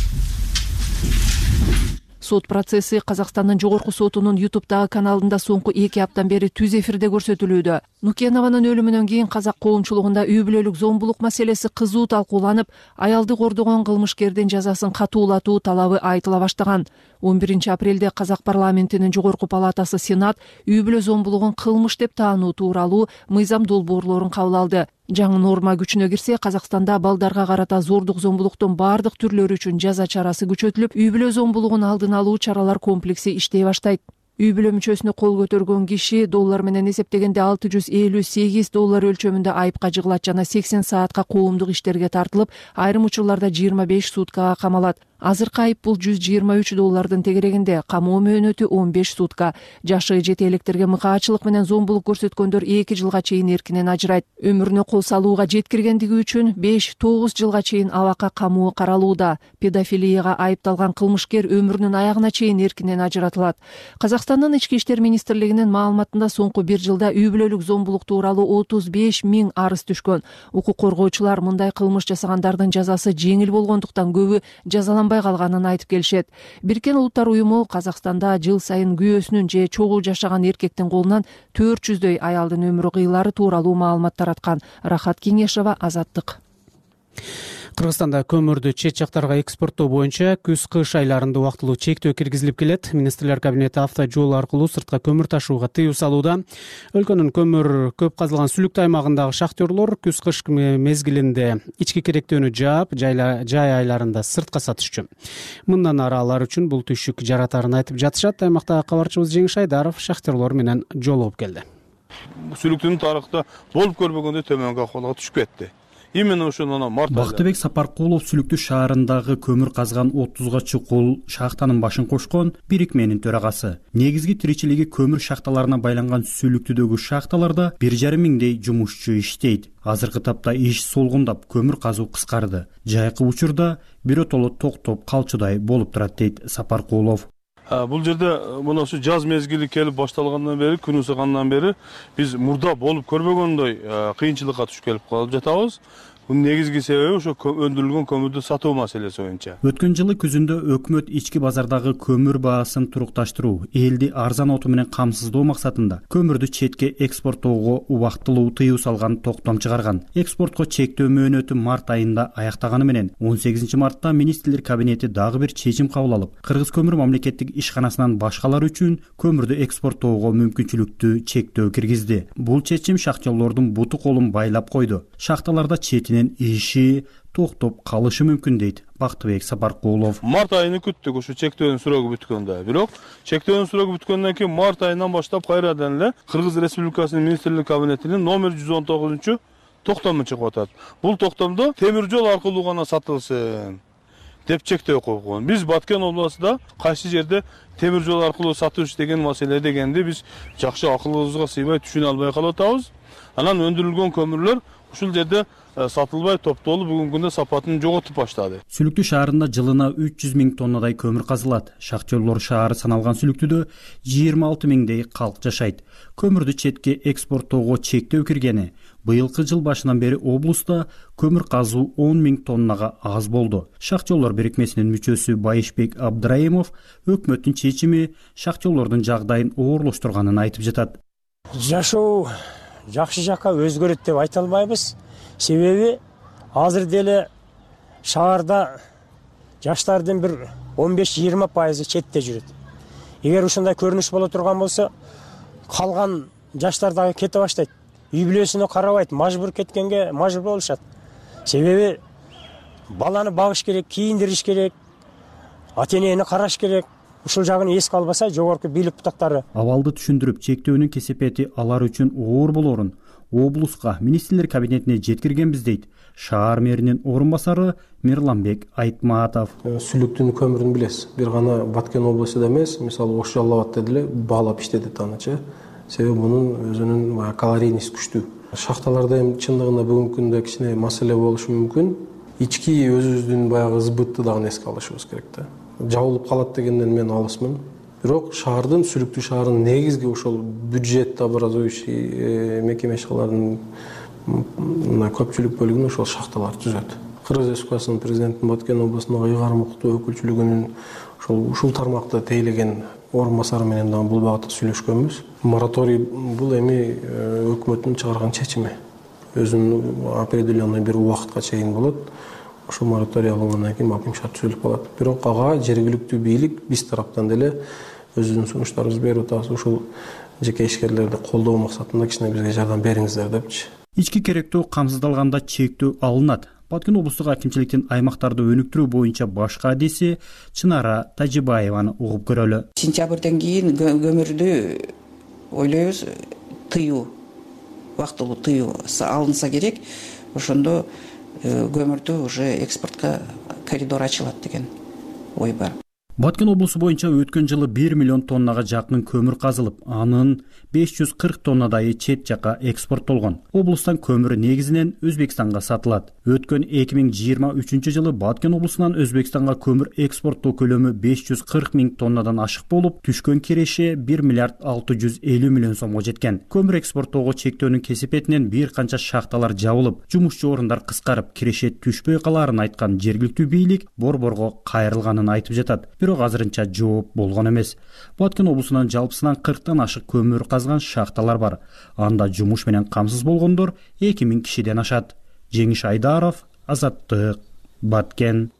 Сот процесси Казакстандын жогорку сотунун YouTube'дагы каналында соңку 2 аптан бери түз эфирде көрсөтүлүүдө. Нукенованын өлүмүнөн кийин казак коомчулугунда үй бүлөлүк зомбулук маселеси кызуу талкууланып, аялды кордогон кылмышкердин жазасын катуулатуу талабы айтыла баштаган. 11 апрелде Казак парламентинин жогорку палатасы Сенат үй бүлө зомбулугун кылмыш деп таануу тууралуу мыйзам долбоорлорун кабыл алды. Жаңы норма күчүнө кирсе, Казакстанда балдарга карата зордук зомбулуктун бардык түрлөрү үчүн жаза чарасы күчөтүлүп, үй бүлө зомбулугун алдын алуу чаралар комплекси иштей баштайт. Үй бүлө мүчөсүнө кол көтөргөн киши доллар менен эсептегенде $658 өлчөмүндө айыпка жыгылат жана 80 саатка коомдук иштерге тартылып, айрым учурларда 25 суткага камалат. Азыркы айып бул $123 тегерегинде, камоо мөөнөтү 15 сутка. Жашы жете электерге мыкаачылык менен зомбулук көрсөткөндөр 2 жылга чейин эркинен ажырайт. Өмүрүнө кол салууга жеткиргендиги үчүн 5-9 жылга чейин абакка камоо каралууда. Педофилияга айыпталган кылмышкер өмүрүнүн аягына чейин эркинен ажыратылат. Казакстандын ички иштер министрлигинин маалыматында соңку 1 жылда үй бүлөлүк зомбулук тууралуу 35 000 арыз түшкөн. Укук коргоочулар мындай кылмыш жасагандардын жазасы жеңил болгондуктан көбү жазаланбай калганын айтып келишет. Бириккен Улуттар уюму Казакстанда жыл сайын күйөөсүнүн же чогуу жашаган эркектин колунан 400дөй аялдын өмүрү кыйылары тууралуу маалымат тараткан. Рахат Кеңешова, Азаттык. Кыргызстанда көмүрдү чет жактарга экспорттоо боюнча күз-кыш айларында убактылуу чектөө киргизилип келет. Министрлер кабинети автожол аркылуу сыртка көмүр ташууга тыюу салууда. Өлкөнүн көмүр көп казылган сүлүктүү аймагындагы шахтерлор күз-кыш мезгилинде ички керектөөнү жаап, жай айларында сыртка сатышчу. Мындан ары алар үчүн бул түшүк жаратарын айтып жатышат. Аймактагы кабарчыбыз Жеңиш Айдаров шахтерлор менен жолугуп келди. Сүлүктүн тарыхта болуп көрбөгөндөй төмөнгө акыбалга түшүп кетти. Именно ошондон март айында Бактыбек Сапаркулов сүлүктүү шаарындагы көмүр казган 30га чукул шахтанын башын кошкон бирикменин төрагасы. Негизги тиричилиги көмүр шахталарына байланган сүлүктүүдөгү шахталарда 1,5 миңдей жумушчу иштейт. Азыркы тапта иш солгундап, көмүр казуу кыскарды. Жайкы учурда биротоло токтоп калчудай болуп турат дейт Сапаркулов. Бул жерде мына ушу жаз мезгили келип башталгандан бери, күн ысыгандан бери биз мурда болуп көрбөгөндөй кыйынчылыкка түшүп келип калып жатабыз. Бунун негизги себеби ошо өндүрүлгөн көмүрдү сатуу маселеси боюнча. Өткөн жылы күзүндө өкмөт ички базардагы көмүр баасын турукташтыруу, элди арзан оту менен камсыздоо максатында көмүрдү четке экспорттоого убактылуу тыюу салган токтом чыгарган. Экспортко чектөө мөөнөтү март айында аяктаганы менен 18 мартта министрлер кабинети дагы бир чечим кабыл алып, Кыргыз көмүр мамлекеттик ишканасынан башкалар үчүн көмүрдү экспорттоого мүмкүнчүлүктү чектөө киргизди. Бул чечим шахтерлордун буту колун байлап койду. Шахталарда четинен иши токтоп калышы мүмкүн дейт Бактыбек Сапаркулов. Март айыны күттүк ушу чектөөнүн срогу бүткөндө. Бирок чектөөнүн срогу бүткөндөн кийин март айынан баштап кайрадан эле Кыргыз Республикасынын министрлер кабинетинин номер 119 токтому чыгып атат. Бул токтомдо темир жол аркылуу гана сатылсын деп чектөө койгон. Биз Баткен областында кайсы жерде темир жол аркылуу сатыш деген маселе дегенди биз жакшы акылыбызга сыйбай түшүнө албай калып атабыз. Анан өндүрүлгөн көмүрлөр ушул жерде сатылбай топтолуп бүгүнкү күндө сапатын жоготуп баштады. Сүлүктүү шаарында жылына 300 000 тоннадай көмүр казылат. Шахтерлор шаары саналган Сүлүктүүдө 26 000дей калк жашайт. Көмүрдү четке экспорттоого чектөө киргени быйылкы жыл башынан бери облуста көмүр казуу 10 000 тоннага аз болду. Шахтерлор бирикмесинин мүчөсү Байышбек Абдраимов өкмөттүн чечими шахтерлордун жагдайын оорлоштурганын айтып жатат. Жашоо жакшы жакка өзгөрөт деп айта албайбыз. Себеби азыр деле шаарда жаштардын бир 15-20% четте жүрөт. Эгер ушундай көрүнүш боло турган болсо, калган жаштар дагы кете баштайт. Үй бүлөсүнө карабайт, мажбур кеткенге мажбур болушат. Себеби баланы багыш керек, кийиндириш керек, ата-энени караш керек. Ушул жагын эске албаса, жогорку бийлик бутактары абалды түшүндүрүп, чектөөнүн кесепети алар үчүн оор болорун облуска, министрлер кабинетине жеткиргенбиз дейт шаар мэринин орун басары Мирланбек Айтматов. Сүлүктүн көмүрүн билесиз. Бир гана Баткен облусунда эмес, мисалы Ош Жалал Абадта деле баалап иштетет анычы. Себеби мунун өзүнүн калорийность күчтүү. Шахталарда эми чындыгында бүгүнкү күндө кичине маселе болушу мүмкүн. Ички өзүбүздүн баягы сбытты дагы эске алышыбыз керек да. Жабылып калат дегенден мен алысмын. Бирок шаардын, Сүлүктүү шаарынын негизги ошол бюджет образующий мекемешалардын көпчүлүк бөлүгүн ошол шахталар түзөт. Кыргыз Республикасынын президентин Баткен облусундагы ыйгарым укуктуу өкүлчүлүгүнүн ушул тармакта тейлеген орун басары менен дагы бул багытта сүйлөшкөнбүз. Мораторий бул эми өкмөттүн чыгарган чечими. Өзүнүн определенный бир убакытка чейин болот. Ошол мораторий алынгандан кийин маким шарт түзүлүп калат. Бирок ага жергиликтүү бийлик биз тараптан деле өзүнүн сунуштарыбызды берип атабыз. Ушул жеке ишкерлерди колдоо максатында кичине бизге жардам бериңиздер депчи. Ички керектөө камсыздалганда чектөө алынат. Баткен облустук акимчиликтин аймактарды өнүктүрүү боюнча баш кадиси Чынара Тажибаеваны угуп көрөлү. Сентябрден кийин көмүрдү ойлойбуз тыюу, убактылуу тыюу алынса керек. Ошондо көмүрдү уже экспортко коридор ачылат деген ой бар. Баткен облусу боюнча өткөн жылы 1 миллион тоннага жакын көмүр казылып, анын 540 тоннадайы чет жакка экспорттолгон. Облустан көмүр негизинен Өзбекстанга сатылат. Өткөн 2023 жылы Баткен облусунан Өзбекстанга көмүр экспорттоо көлөмү 540 000 тоннадан ашык болуп, түшкөн киреше 1 миллиард 650 миллион сомго жеткен. Көмүр экспорттоого чектөөнүн кесепетинен бир канча шахталар жабылып, жумушчу орундар кыскарып, киреше түшпөй калаарын айткан жергиликтүү бийлик борборго кайрылганын айтып жатат. Бирок азырынча жооп болгон эмес. Баткен облусунан жалпысынан 40тан ашык көмүр казган шахталар бар. Анда жумуш менен камсыз болгондор 2000 кишиден ашат. Жеңиш Айдаров, Азаттык, Баткен.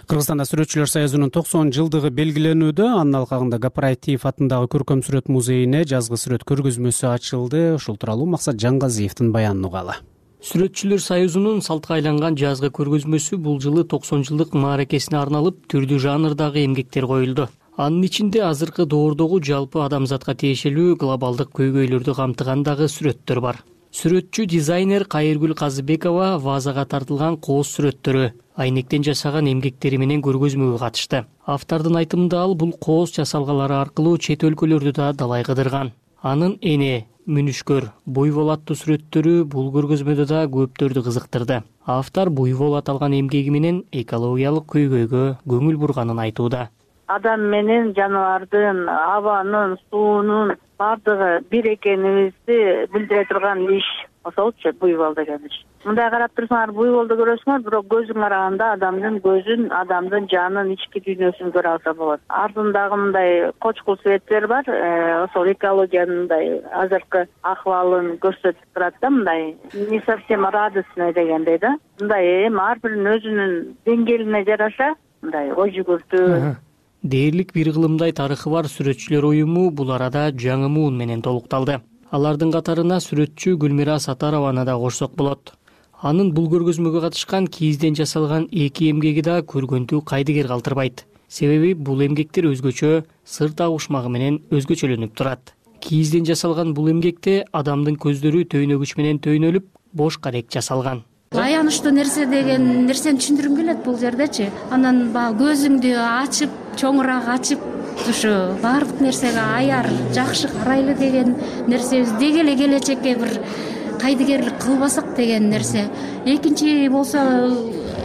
Кыргызстанда сүрөтчүлөр союзунун 90 жылдыгы белгиленүүдө. Анын алкагында Гапараев атындагы көркөм сүрөт музейине жазгы сүрөт көргөзмөсү ачылды. Ушул тууралуу Максат Жангазиевдин баянын угалы. Сүрөтчүлөр союзунун салтка айланган жазгы көргөзмөсү бул жылы 90 жылдык мааракесине арналып, түрдүү жанрдагы эмгектер коюлду. Анын ичинде азыркы доордогу жалпы адамзатка тиешелүү глобалдык көйгөйлөрдү камтыгандагы сүрөттөр бар. Сүрөтчү дизайнер Кайыргүл Казыбекова вазага тартылган кооз сүрөттөрү, айнектен жасаган эмгектери менен көргөзмөгө катышты. Автордун айтымында ал бул кооз часалгалары аркылуу чет өлкөлөрдү да далай кыдырган. Анын эне, мүнүшкөр, буйвол аттуу сүрөттөрү бул көргөзмөдө да көптөрдү кызыктырды. Автор буйвол аталган эмгеги менен экологиялык көйгөйгө көңүл бурганын айтууда. Адам менен жаныбардын, абанын, суунун бардыгы бир экенибизди билдире турган иш. Ошолчу буйвол деген иш. Мындай карап турсаңар буйволду көрөсүңөр, бирок көзүң караганда адамдын көзүн, адамдын жанын, ички дүйнөсүн көрө алса болот. Артындагы мындай кочкул светтер бар, ошол экологиянын мындай азыркы акыбалын көрсөтүп турат да, мындай не совсем радостный дегендей да. Мындай ар биринин өзүнүн деңгээлине жараша мындай ой жүгүртүү. Дээрлик бир кылымдай тарыхы бар сүрөтчүлөр уюму бул арада жаңы муун менен толукталды. Алардын катарына сүрөтчү Гүлмира Сатарованы да кошсок болот. Анын бул көргөзмөгө катышкан кийизден жасалган эки эмгеги да көргөндү кайдыгер калтырбайт. Себеби бул эмгектер өзгөчө, сыр табышмагы менен өзгөчөлөнүп турат. Кийизден жасалган бул эмгекте адамдын көздөрү төйнөгүч менен төйнөлүп, бош карек жасалган. Аянычтуу нерсе деген нерсени түшүндүргүм келет бул жердечи. Анан баягы көзүңдү ачып, чоңураак ачып, ушу баардык нерсеге аяр, жакшы карайлы деген нерсебиз деги эле келечекке бир кайдыгерлик кылбасак деген нерсе. Экинчи болсо,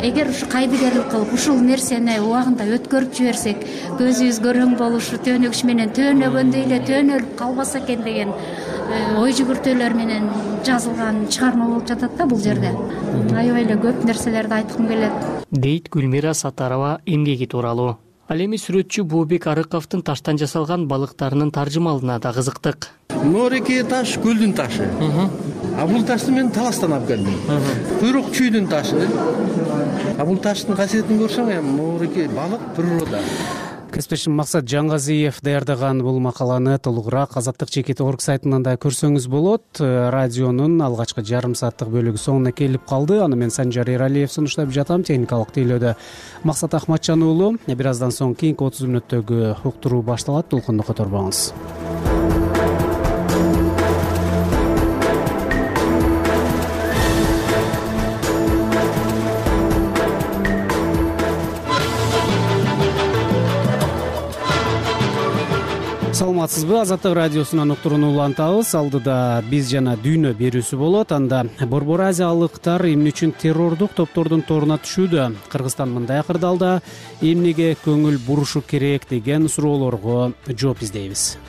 эгер ушу кайдыгерлик кылып ушул нерсени убагында өткөрүп жиберсек, көзүбүз көрөң болушу, төөнөгүч менен төөнөгөндөй эле төөнөлүп калбаса экен деген ой жүгүртүүлөр менен жазылган чыгарма болуп жатат да бул жерде. Аябай эле көп нерселерди айткым келет, дейт Гүлмира Сатарова эмгеги тууралуу. Ал эми сүрөтчү Бообек Арыковдун таштан жасалган балыктарынын таржымалына да кызыктык. Моореке таш көлдүн ташы. А бул ташты мен таластан алып келдим. Куйрук чүйдүн ташы. А бул таштын касиетин көрсөң, моореке балык природа. Кесиптешим Максат Жаңгазиев даярдаган бул макаланы толугураак Азаттык чекит орг сайтынан да көрсөңүз болот. Радионун алгачкы жарым сааттык бөлүгү соңуна келип калды. Аны мен Санжар Эралиев сунуштап жатам. Техникалык тейлөөдө Максат Ахматжан уулу. Бир аздан соң кийинки 30 мүнөттөгү уктуруу башталат. Толкунду которбоңуз. Саламатсызбы? Азаттык радиосунан уктурууну улантабыз. Алдыда биз жана дүйнө берүүсү болот. Анда Борбор Азиялыктар эмне үчүн террордук топтордун торуна түшүүдө? Кыргызстан мындай акырдалда эмнеге көңүл бурушу керек деген суроолорго жооп издейбиз.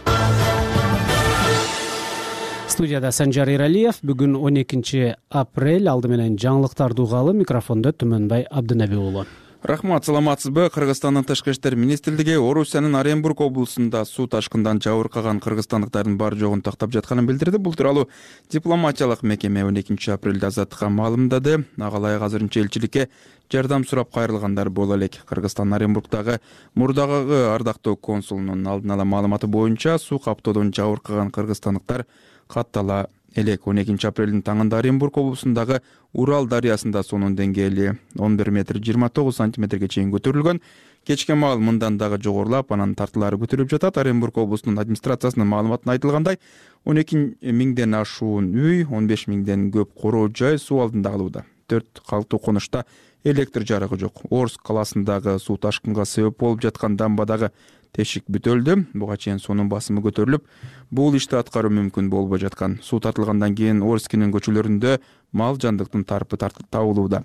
Студияда Санжар Эралиев. Бүгүн 12 апрель. Алды менен жаңылыктарды угалы. Микрофондо Түмөнбай Абдынаби уулу. Рахмат, саламатсызбы? Кыргызстандын Тышкы иштер министрлиги Орусиянын Оренбург облусунда суу ташкындан жабыркаган кыргызстандыктардын бар жогун тактап жатканын билдирди. Бул тууралуу дипломатиялык мекеме 12 апрелде Азаттыкка маалымдады. Ага ылайык азырынча элчиликке жардам сурап кайрылгандар боло элек. Кыргызстан Оренбургдагы мурдагы ардактуу консулунун алдын ала маалыматы боюнча суу каптоодон жабыркаган кыргызстандыктар каттала элек. 12 апрелдин таңында Оренбург облусундагы Урал дарыясында суунун деңгээли 11 метр 29 сантиметрге чейин көтөрүлгөн. Кечке маал мындан дагы жогорулап, анан тартылары көтөрүлүп жатат. Оренбург облусунун администрациясынын маалыматында айтылгандай, 12 миңден ашуун үй, 15 миңден көп короо жай суу алдында калууда. 4 калктуу конушта электр жарыгы жок. Орск калаасындагы суу ташкынга себеп болуп жаткан дамбадагы тешик бүтөлдү. Буга чейин суунун басымы көтөрүлүп, бул ишти аткаруу мүмкүн болбой жаткан. Суу тартылгандан кийин Орскинин көчөлөрүндө мал жандыктын тарпы табылууда.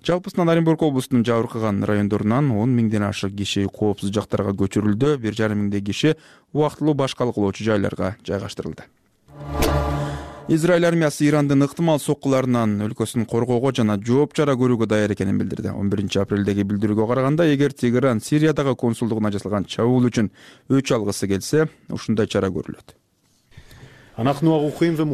Жалпысынан Оренбург облусунун жабыркаган райондорунан 10 миңден ашык киши коопсуз жактарга көчүрүлдү. 1,5 миңдей киши убактылуу башкалык кылуучу жайларга жайгаштырылды. Израиль армиясы Ирандын ыктымал соккуларынан өлкөсүн коргоого жана жооп чара көрүүгө даяр экенин билдирди. 11 апрелдеги билдирүүгө караганда, эгер Тегеран Сириядагы консулдугуна жасалган чабуул үчүн өч алгысы келсе, ушундай чара көрүлөт.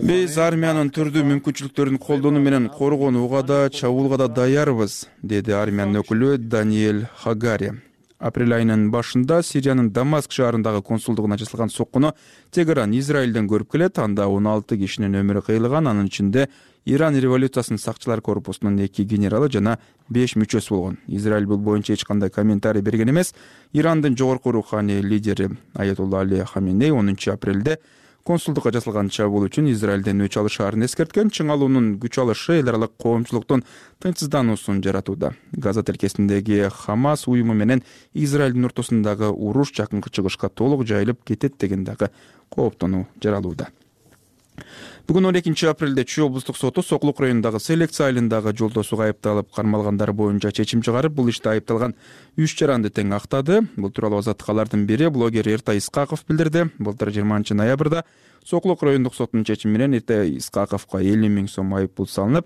Биз армиянын түрдүү мүмкүнчүлүктөрүн колдонуу менен коргонууга да, чабуулга да даярбыз, деди армиянын өкүлү Даниэль Хагари. Апрель айынын башында Сириянын Дамаск шаарындагы консулдугуна жасалган соккуну Тегеран Израилден көрүп келет. Анда 16 кишинин өмүрү кыйылган, анын ичинде Иран революциясынын сакчылар корпусунун 2 генералы жана 5 мүчөсү болгон. Израиль бул боюнча эч кандай комментарий берген эмес. Ирандын жогорку руханий лидери Аятулла Али Хаменей 10 апрелде консулдукка жасалган чабуул үчүн Израилден өч алышаарын эскерткен. Чыңалуунун күч алышы эл аралык коомчулуктун тынчсыздануусун жаратууда. Газа тилкесиндеги Хамас уюму менен Израилдин ортосундагы уруш жакынкы чыгышка толук жайылып кетет деген дагы кооптонуу жаралууда. Бүгүн 12 апрелде Чүй облустук соту Соклук районундагы Селекция айылындагы жолдосуга айыпталып кармалгандар боюнча чечим чыгарып, бул иште айыпталган 3 жаранды тең актады. Бул тууралуу Азаттыкалардын бири блогер Эртай Исқақов билдирди. Былтыр 20 ноябрда Соклук райондук сотунун чечими менен Эртай Исқақовго 50 миң сом айыппул салынып,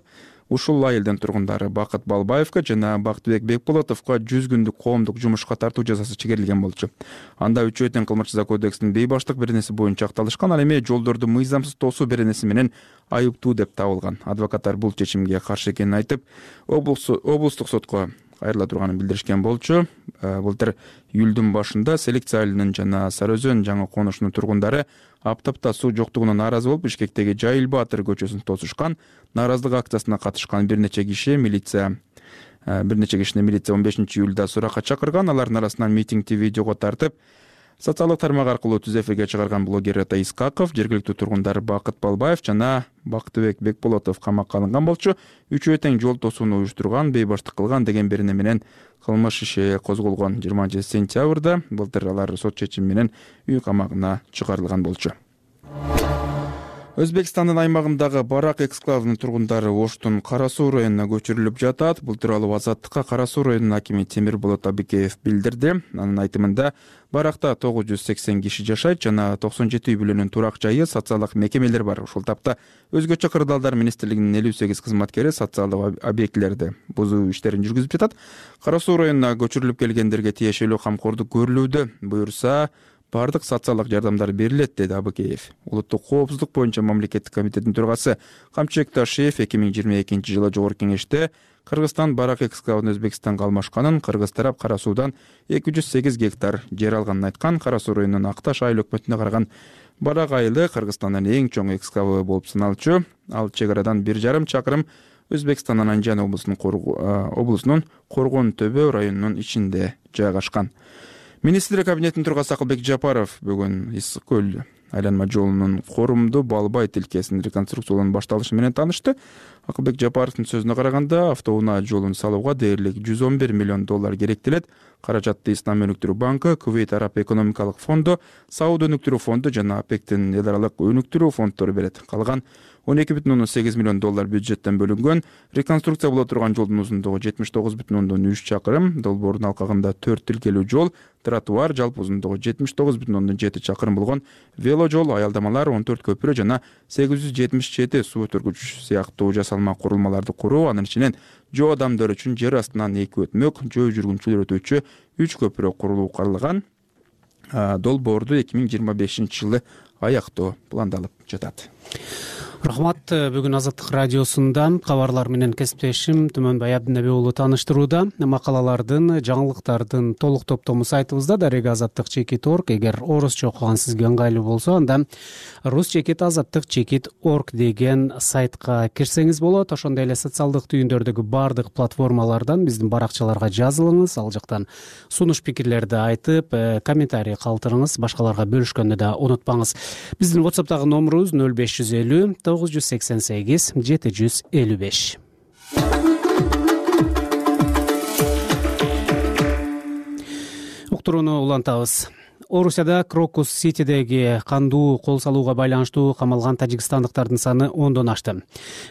ушул айылдын тургундары Бакыт Балбаевга жана Бактыбек Бекболотовго 100 күндүк коомдук жумушка тартуу жазасы чегерилген болчу. Анда үчөө тең кылмыш жаза кодексинин бейбаштык беренеси боюнча акталышкан, ал эми жолдорду мыйзамсыз тосуу беренеси менен айыптуу деп табылган. Адвокаттар бул чечимге каршы экенин айтып, облустук сотко кайрыла турганын билдиришкен болчу. Былтыр июлдун башында Селекция айылынын жана Сары Өзөн жаңы конушунун тургундары аптапта суу жоктугуна нааразы болуп, Бишкектеги Жайыл Баатыр көчөсүн тосушкан. Нааразылык акциясына катышкан бир нече кишини милиция 15 июлда суракка чакырган. Алардын арасынан митингди видеого тартып, социалдык тармак аркылуу түз эфирге чыгарган блогер Эртай Исқақов, жергиликтүү тургундар Бакыт Балбаев жана Бактыбек Бекболотов камакка алынган болчу. Үчөө тең жол тосууну уюштурган, бейбаштык кылган деген берене менен кылмыш иши козголгон. 20 сентябрда былтыр алар сот чечими менен үй камагына чыгарылган болчу. Өзбекстандын аймагындагы Барак эксклавынын тургундары Оштун Кара Суу районуна көчүрүлүп жатат. Бул тууралуу Азаттыкка Кара Суу районунун акими Темирболот Абикеев билдирди. Анын айтымында Баракта 980 киши жашайт жана 97 үй бүлөнүн турак жайы, социалдык мекемелер бар. Ушул тапта өзгөчө кырдаалдар министрлигинин 58 кызматкери социалдык объектилерди бузуу иштерин жүргүзүп жатат. Кара Суу районуна көчүрүлүп келгендерге тиешелүү камкордук көрүлүүдө. Буюрса бардык социалдык жардамдар берилет, деди Абыкеев. Улуттук коопсуздук боюнча мамлекеттик комитеттин төрагасы Камчыбек Ташиев 2022 жылы Жогорку Кеңеште Кыргызстан Барак эксклавын Өзбекстанга алмашканын, кыргыз тарап Кара Суудан 208 гектар жер алганын айткан. Кара Суу районунун Акташ айыл өкмөтүнө караган Барак айылы Кыргызстандын эң чоң эксклавы болуп саналчу. Ал чек арадан 1,5 чакырым Өзбекстандын Анжан облусунун Коргон Төбө районунун ичинде жайгашкан. Министрлер кабинетинин төрагасы Акылбек Жапаров бүгүн Ысык көл айланма жолунун Корумду Балбай тилкесинин реконструкциялануу башталышы менен таанышты. Акылбек Жапаровдун сөзүнө караганда, автоунаа жолун салууга дээрлик $111 миллион керектелет. Каражатты Ислам өнүктүрүү банкы, Кувейт Араб экономикалык фонду, Сауд өнүктүрүү фонду жана ОПЕКтин эл аралык өнүктүрүү фонддору берет. Калган $12,8 миллион бюджеттен бөлүнгөн. Реконструкция боло турган жолдун узундугу 79,3 чакырым, долбоордун алкагында 4 тилкелүү жол, тротуар, жалпы узундугу 79,7 чакырым болгон вело жол, аялдамалар, 14 көпүрө жана 877 суу өтөргүч сыяктуу жасалма курулмаларды куруу, анын ичинен жөө адамдар үчүн жер астынан 2 өтмөк, жөө жүргүнчүлөр өтүүчү 3 көпүрө курулуу каралган. Долбоорду 2025 жылы аяктоо пландалып жатат. Рахмат. Бүгүн Азаттык радиосунда кабарлар менен кесиптешим Түмөнбай Абдинеби уулу тааныштырууда. Макалалардын, жаңылыктардын толук топтому сайтыбызда @azattik.org. Эгер орусча окуган сизге ыңгайлуу болсо, анда rus.azattik.org деген сайтка кирсеңиз болот. Ошондой эле социалдык түйүндөрдөгү бардык платформалардан биздин баракчаларга жазылыңыз. Ал жактан сунуш пикирлерди айтып, комментарий калтырыңыз, башкаларга бөлүшкөндү да унутпаңыз. Биздин WhatsApp'тагы номерубуз 0550 988 755. Уктурууну улантабыз. Орусияда Крокус Ситидеги кандуу кол салууга байланыштуу камалган тажикстандыктардын саны 10дон ашты.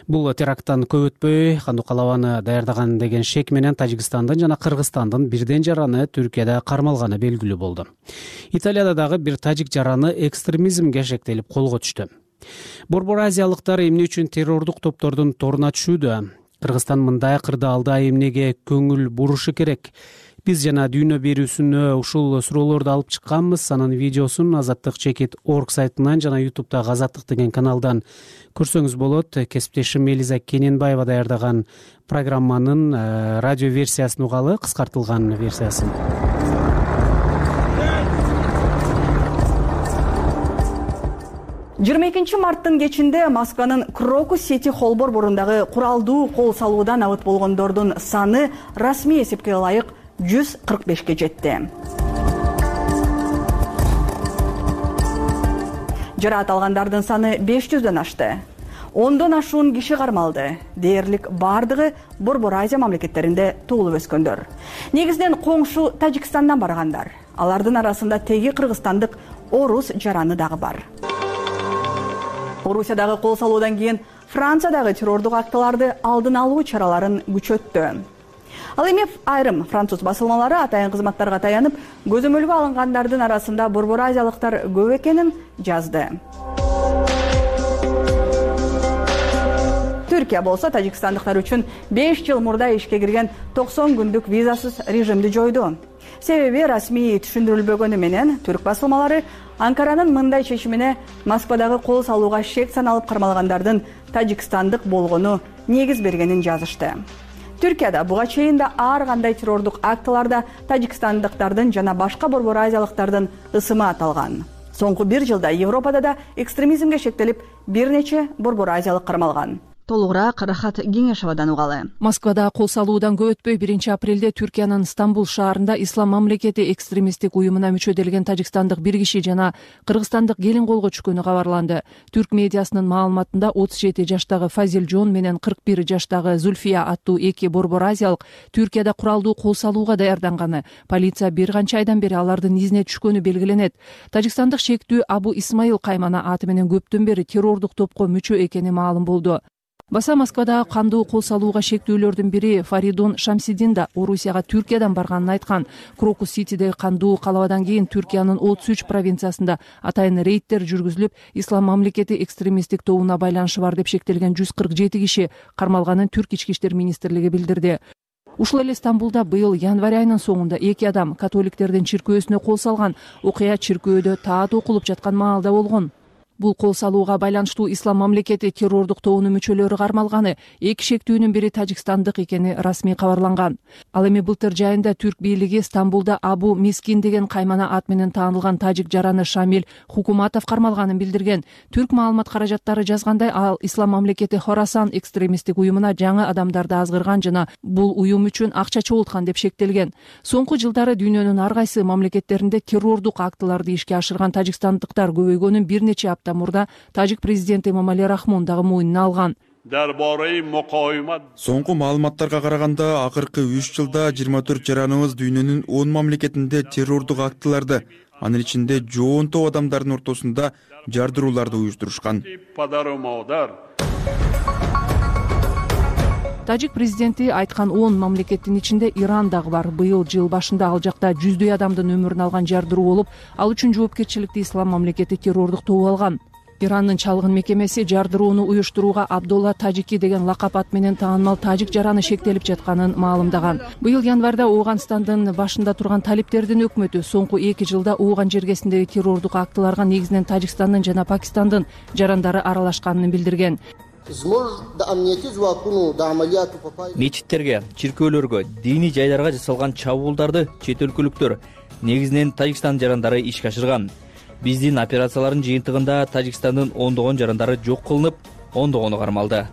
Бул теракттан көп өтпөй, кандуу калабаны даярдаган деген шек менен Тажикстандын жана Кыргызстандын бирден жараны Түркияда кармалганы белгилүү болду. Италияда дагы бир тажик жараны экстремизмге шектелип колго түштү. Борбор азиялыктар эмне үчүн террордук топтордун торуна түшүүдө? Кыргызстан мындай кырдаалда эмнеге көңүл бурушу керек? Биз жана дүйнө берүүсүнө ушул суроолорду алып чыкканбыз. Анын видеосун azattik.org сайтынан жана YouTube'дагы Азаттык деген каналдан көрсөңүз болот. Кесиптешим Элиза Кененбаева даярдаган программанын радио версиясын угалы, кыскартылган версиясын. 22 марттын кечинде Москванын Крокус Сити холл борборундагы куралдуу кол салуудан абыт болгондордун саны расмий эсепке ылайык 145 жетти. Жараат алгандардын саны 500дөн ашты. 10дон ашуун киши кармалды. Дээрлик бардыгы Борбор Азия мамлекеттеринде туулуп өскөндөр. Негизинен коңшу Тажикстандан баргандар. Алардын арасында теги кыргызстандык орус жараны дагы бар. Орусиядагы кол салуудан кийин Франциядагы террордук актыларды алдын алуу чараларын күчөттү. Ал эми айрым француз басылмалары атайын кызматтарга таянып, көзөмөлгө алынгандардын арасында борбор азиялыктар көп экенин жазды. Түркия болсо тажикстандыктар үчүн 5 жыл мурда ишке кирген 90 күндүк визасыз режимди жойду. Себеби расмий түшүндүрүлбөгөнү менен түрк басылмалары Анкаранын мындай чечимине Москвадагы кол салууга шек саналып кармалгандардын тажикстандык болгону негиз бергенин жазышты. Түркияда буга чейин да ар кандай террордук актыларда тажикстандыктардын жана башка борбор азиялыктардын ысымы аталган. Соңку 1 жылда Европада да экстремизмге шектелип бир нече борбор азиялык кармалган. толугураак Рахат Кеңешовадан угалы. Москвада кол салуудан көп өтпөй 1-апрелде Түркиянын Стамбул шаарында Ислам мамлекети экстремисттик уюмуна мүчөделген тажикстандык бир киши жана кыргызстандык келин колго түшкөнү кабарланды. Түрк медиасынын маалыматында 37 жаштагы Фазил Жон менен 41 жаштагы Зульфия аттуу эки борбор азиялык Түркияда куралдуу кол салууга даярданганы, полиция бир канча айдан бери алардын изине түшкөнү белгиленет. Тажикстандык шектүү Абу Исмаил Каймана аты менен көптөн бери террордук топко мүчө экени маалым болду. Баса Москвада кандуу кол салууга шектүүлөрдүн бири Фаридун Шамсидин да Орусияга Түркиядан барганын айткан. Крокус Ситидеги кандуу калабадан кийин Түркиянын 33 провинциясында атайын рейдтер жүргүзүлүп, Ислам мамлекети экстремисттик тобуна байланышы бар деп шектелген 147 киши кармалганын Түрк ички иштер министрлиги билдирди. Ушул эле Стамбулда быйыл январь айынын соңунда эки адам католиктердин чиркөөсүнө кол салган. Окуя чиркөөдө таат окулуп жаткан маалда болгон. Бул кол салууга байланыштуу Ислам мамлекети террордук тобунун мүчөлөрү кармалганы, эки шектүүнүн бири тажикстандык экени расмий кабарланган. Ал эми былтыр жайында Түрк бийлиги Стамбулда Абу Мискин деген каймана ат менен таанылган тажик жараны Шамил Хукуматов кармалганын билдирген. Түрк маалымат каражаттары жазгандай, ал Ислам мамлекети Хорасан экстремисттик уюмуна жаңы адамдарды азгырган жана бул уюм үчүн акча чогулткан деп шектелген. Соңку жылдары дүйнөнүн ар кайсы мамлекеттеринде террордук актыларды ишке ашырган тажикстандыктар көбөйгөнүн бир нече апта мурда тажик президенти Эмомали Рахмон дагы мойнуна алган. Соңку маалыматтарга караганда, акыркы 3 жылда 24 жараныбыз дүйнөнүн 10 мамлекетинде террордук актыларды, анын ичинде жоон топ адамдардын ортосунда жардырууларды уюштурушкан. Тажик президенти айткан 10 мамлекеттин ичинде Иран дагы бар. Быйыл жыл башында ал жакта жүздөй адамдын өмүрүн алган жардыруу болуп, ал үчүн жоопкерчиликти Ислам мамлекети террордук тобу алган. Ирандын чалгын мекемеси жардырууну уюштурууга Абдулла Тажики деген лакап ат менен таанымал тажик жараны шектелип жатканын маалымдаган. Быйыл январда Ооганстандын башында турган талиптердин өкмөтү соңку 2 жылда Ооган жергесиндеги террордук актыларга негизинен Тажикстандын жана Пакистандын жарандары аралашканын билдирген. Мечиттерге, чиркөөлөргө, диний жайларга жасалган чабуулдарды чет өлкөлүктөр, негизинен Тажикстан жарандары ишке ашырган. Биздин операциялардын жыйынтыгында Тажикстандын ондогон жарандары жок кылынып, ондогону кармалды.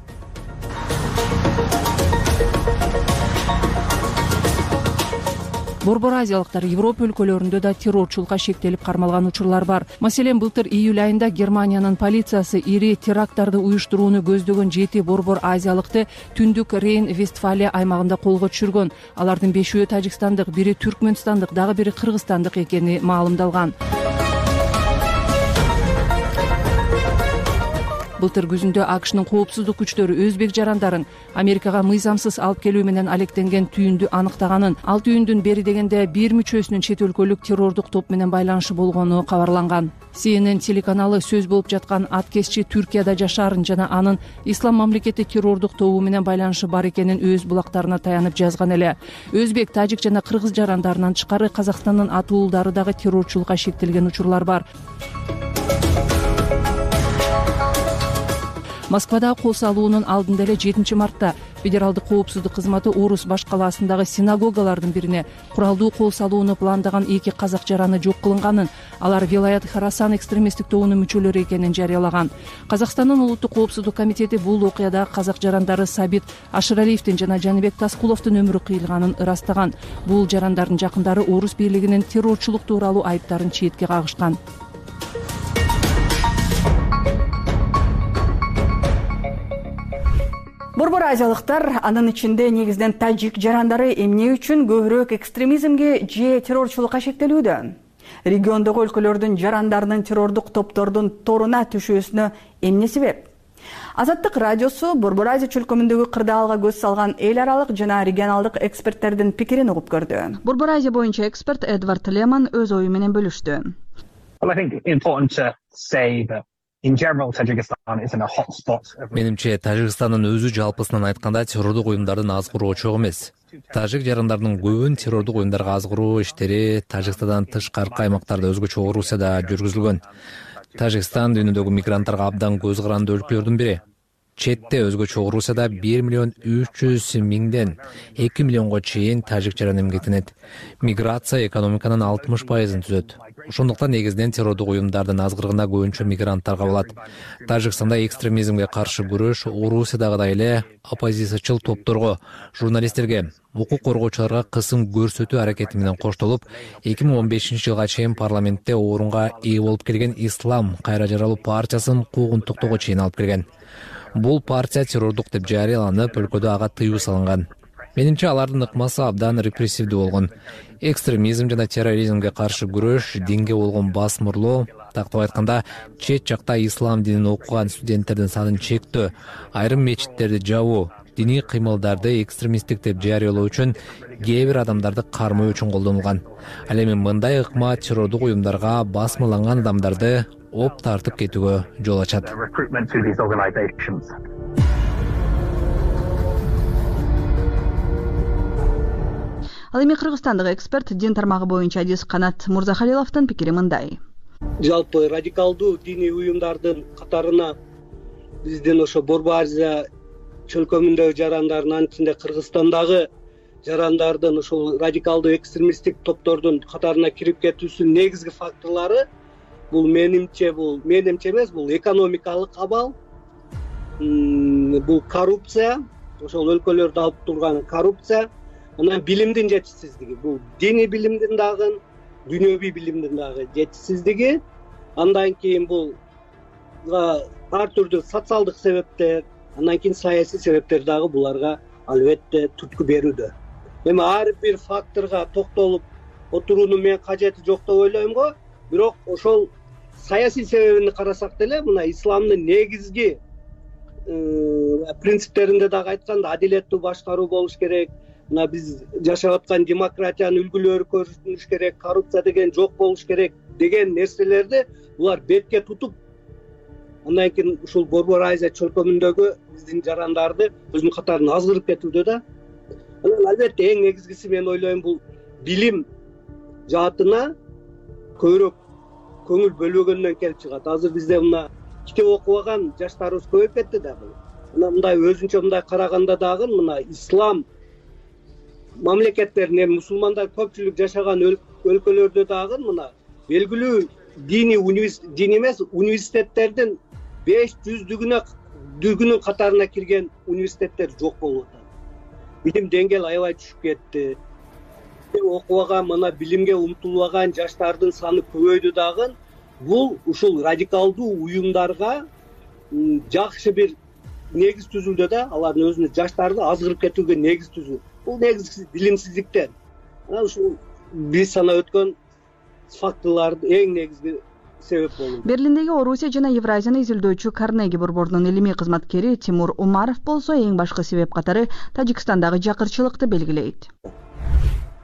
Борбор азиялыктар Европа өлкөлөрүндө да террорчулукка шектелип кармалган учурлар бар. Маселен, былтыр июль айында Германиянын полициясы ири теракттарды уюштурууну көздөгөн 7 борбор азиялыкты Түндүк Рейн-Вестфалия аймагында колго түшүргөн. Алардын 5-өө тажикстандык, бири түркмөнстандык, дагы бири кыргызстандык экени маалымдалган. Былтыр күзүндө АКШнын коопсуздук күчтөрү өзбек жарандарын Америкага мыйзамсыз алып келүү менен алектенген түйүндү аныктаганын, ал түйүндүн бери дегенде бир мүчөсүнүн чет өлкөлүк террордук топ менен байланышы болгону кабарланган. CNN телеканалы сөз болуп жаткан аткезчи Түркияда жашаарын жана анын Ислам мамлекети террордук тобу менен байланышы бар экенин өз булактарына таянып жазган эле. Өзбек, тажик жана кыргыз жарандарынан тышкары Казакстандын атуулдары дагы террорчулукка шектелген учурлар бар. Москвада кол салуунун алдында эле 7 мартта Федералдык коопсуздук кызматы Орус баш калаасындагы синагогалардын бирине куралдуу кол салууну пландаган 2 казак жараны жок кылынганын, алар Вилаят Хорасан экстремисттик тобунун мүчөлөрү экенин жарыялаган. Казакстандын улуттук коопсуздук комитети бул окуяда казак жарандары Сабит Ашыралиевдин жана Жаныбек Таскуловдун өмүрү кыйылганын ырастаган. Бул жарандардын жакындары Орус бийлигинин террорчулук тууралуу айыптарын четке кагышкан. Борбор азиялыктар, анын ичинде негизинен тажик жарандары эмне үчүн көбүрөөк экстремизмге же террорчулукка шектелүүдө? Региондогу өлкөлөрдүн жарандарынын террордук топтордун торуна түшүүсүнө эмне себеп? Азаттык радиосу Борбор Азия чөлкөмүндөгү кырдаалга көз салган эл аралык жана регионалдык эксперттердин пикирин угуп көрдү. Борбор Азия боюнча эксперт Эдвард Леман өз ою менен бөлүштү. Менимче, Тажикстандын өзү жалпысынан айтканда террордук уюмдардын азгыруу чогуу эмес. Тажик жарандарынын көбүн террордук уюмдарга азгыруу иштери Тажикстандан тышкаркы аймактарда өзгөчө Орусияда жүргүзүлгөн. Тажикстан дүйнөдөгү мигранттарга абдан көз каранды өлкөлөрдүн бири. Четте өзгөчө Орусияда 1,3 миллион 2 миллионго чейин тажик жаран эмгектенет. Миграция экономиканын 60%-ын түзөт. Ошондуктан негизинен террордук уюмдардын азгырыгына көбүнчө мигранттар кабылат. Тажикстанда экстремизмге каршы күрөш Орусиядагыдай эле оппозициячыл топторго, журналисттерге, укук коргоочуларга кысым көрсөтүү аракети менен коштолуп, 2015-жылга чейин парламентте орунга ээ болуп келген Ислам кайра жаралуу партиясын куугунтуктоого чейин алып келген. Бул партия террордук деп жарыяланып, өлкөдө ага тыюу салынган. Менимче алардын ыкмасы абдан репрессивдүү болгон. Экстремизм жана терроризмге каршы күрөш, динге болгон басмырлоо, тактап айтканда, чет жакта ислам динин окуган студенттердин санын чектөө, айрым мечиттерди жабуу, диний кыймылдарды экстремисттик деп жарыялоо үчүн кээ бир адамдарды кармоо үчүн колдонулган. Ал эми мындай ыкма террордук уюмдарга басмырланган адамдарды оп тартып кетүүгө жол ачат. Ал эми кыргызстандык эксперт дин тармагы боюнча адис Канат Мурзахалиловдун пикири мындай. Жалпы радикалдуу диний уюмдардын катарына биздин ошо Борбу Азия чөлкөмүндөгү жарандардын ичинде Кыргызстандагы жарандардын ошол радикалдуу экстремисттик топтордун катарына кирип кетүүсүнүн негизги факторлору бул менимче эмес, бул экономикалык абал, бул коррупция, ошол өлкөлөрдү алып турган коррупция, анан билимдин жетишсиздиги, бул диний билимдин дагы, дүйнөвүй билимдин дагы жетишсиздиги, андан кийин бул ар түрдүү социалдык себептер, андан кийин саясий себептер дагы буларга албетте түрткү берүүдө. Эми ар бир факторго токтолуп отуруунун мен кажети жок деп ойлойм го, бирок ошол саясий себебин карасак деле, мына исламдын негизги принциптеринде дагы айтканда адилеттүү башкаруу болуш керек, мына биз жашап аткан демократиянын үлгүлөрү көрүнүш керек, коррупция деген жок болуш керек деген нерселерди булар бетке тутуп, андан кийин ушул Борбу Азия чөлкөмүндөгү биздин жарандарды өзүнүн катарына азгырып кетүүдө да. Анан албетте эң негизгиси мен ойлойм бул билим жаатына көбүрөөк көңүл бөлбөгөндөн келип чыгат. Азыр бизде мына китеп окубаган жаштарыбыз көбөйүп кетти дагы. Мына мындай өзүнчө мындай караганда дагы мына ислам мамлекеттерин, мусулмандар көпчүлүк жашаган өлкөлөрдө дагы мына белгилүү дини эмес университеттердин 500-дүгүнүн катарына кирген университеттер жок болуп атат. Билим деңгээли аябай түшүп кетти. Окубаган, мына билимге умтулбаган жаштардын саны көбөйдү дагы. Бул ушул радикалдуу уюмдарга жакшы бир негиз түзүлдү да, алардын өзүнүн жаштарды азгырып кетүүгө негиз түзүү. Бул негизгиси билимсиздиктен. Анан ушул биз санап өткөн факторлордун эң негизги себеп болду. Берлиндеги Орусия жана Евразияны изилдөөчү Карнеги борборунун илимий кызматкери Тимур Умаров болсо эң башкы себеп катары Тажикстандагы жакырчылыкты белгилейт.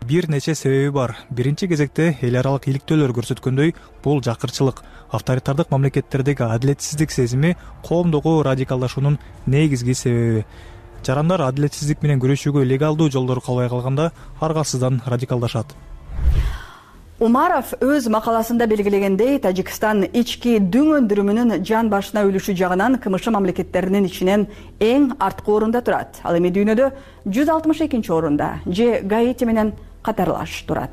Бир нече себеби бар. Биринчи кезекте эл аралык иликтөөлөр көрсөткөндөй, бул жакырчылык, авторитардык мамлекеттердеги адилетсиздик сезими коомдогу радикалдашуунун негизги себеби. Жарандар адилетсиздик менен күрөшүүгө легалдуу жолдорду калбай калганда аргасыздан радикалдашат. Умаров өз макаласында белгилегендей, Тажикстан ички дүң өндүрүмүнүн жан башына үлүшү жагынан КМШ мамлекеттеринин ичинен эң арткы орунда турат. Ал эми дүйнөдө 162 орунда же Гаити менен катарлаш турат.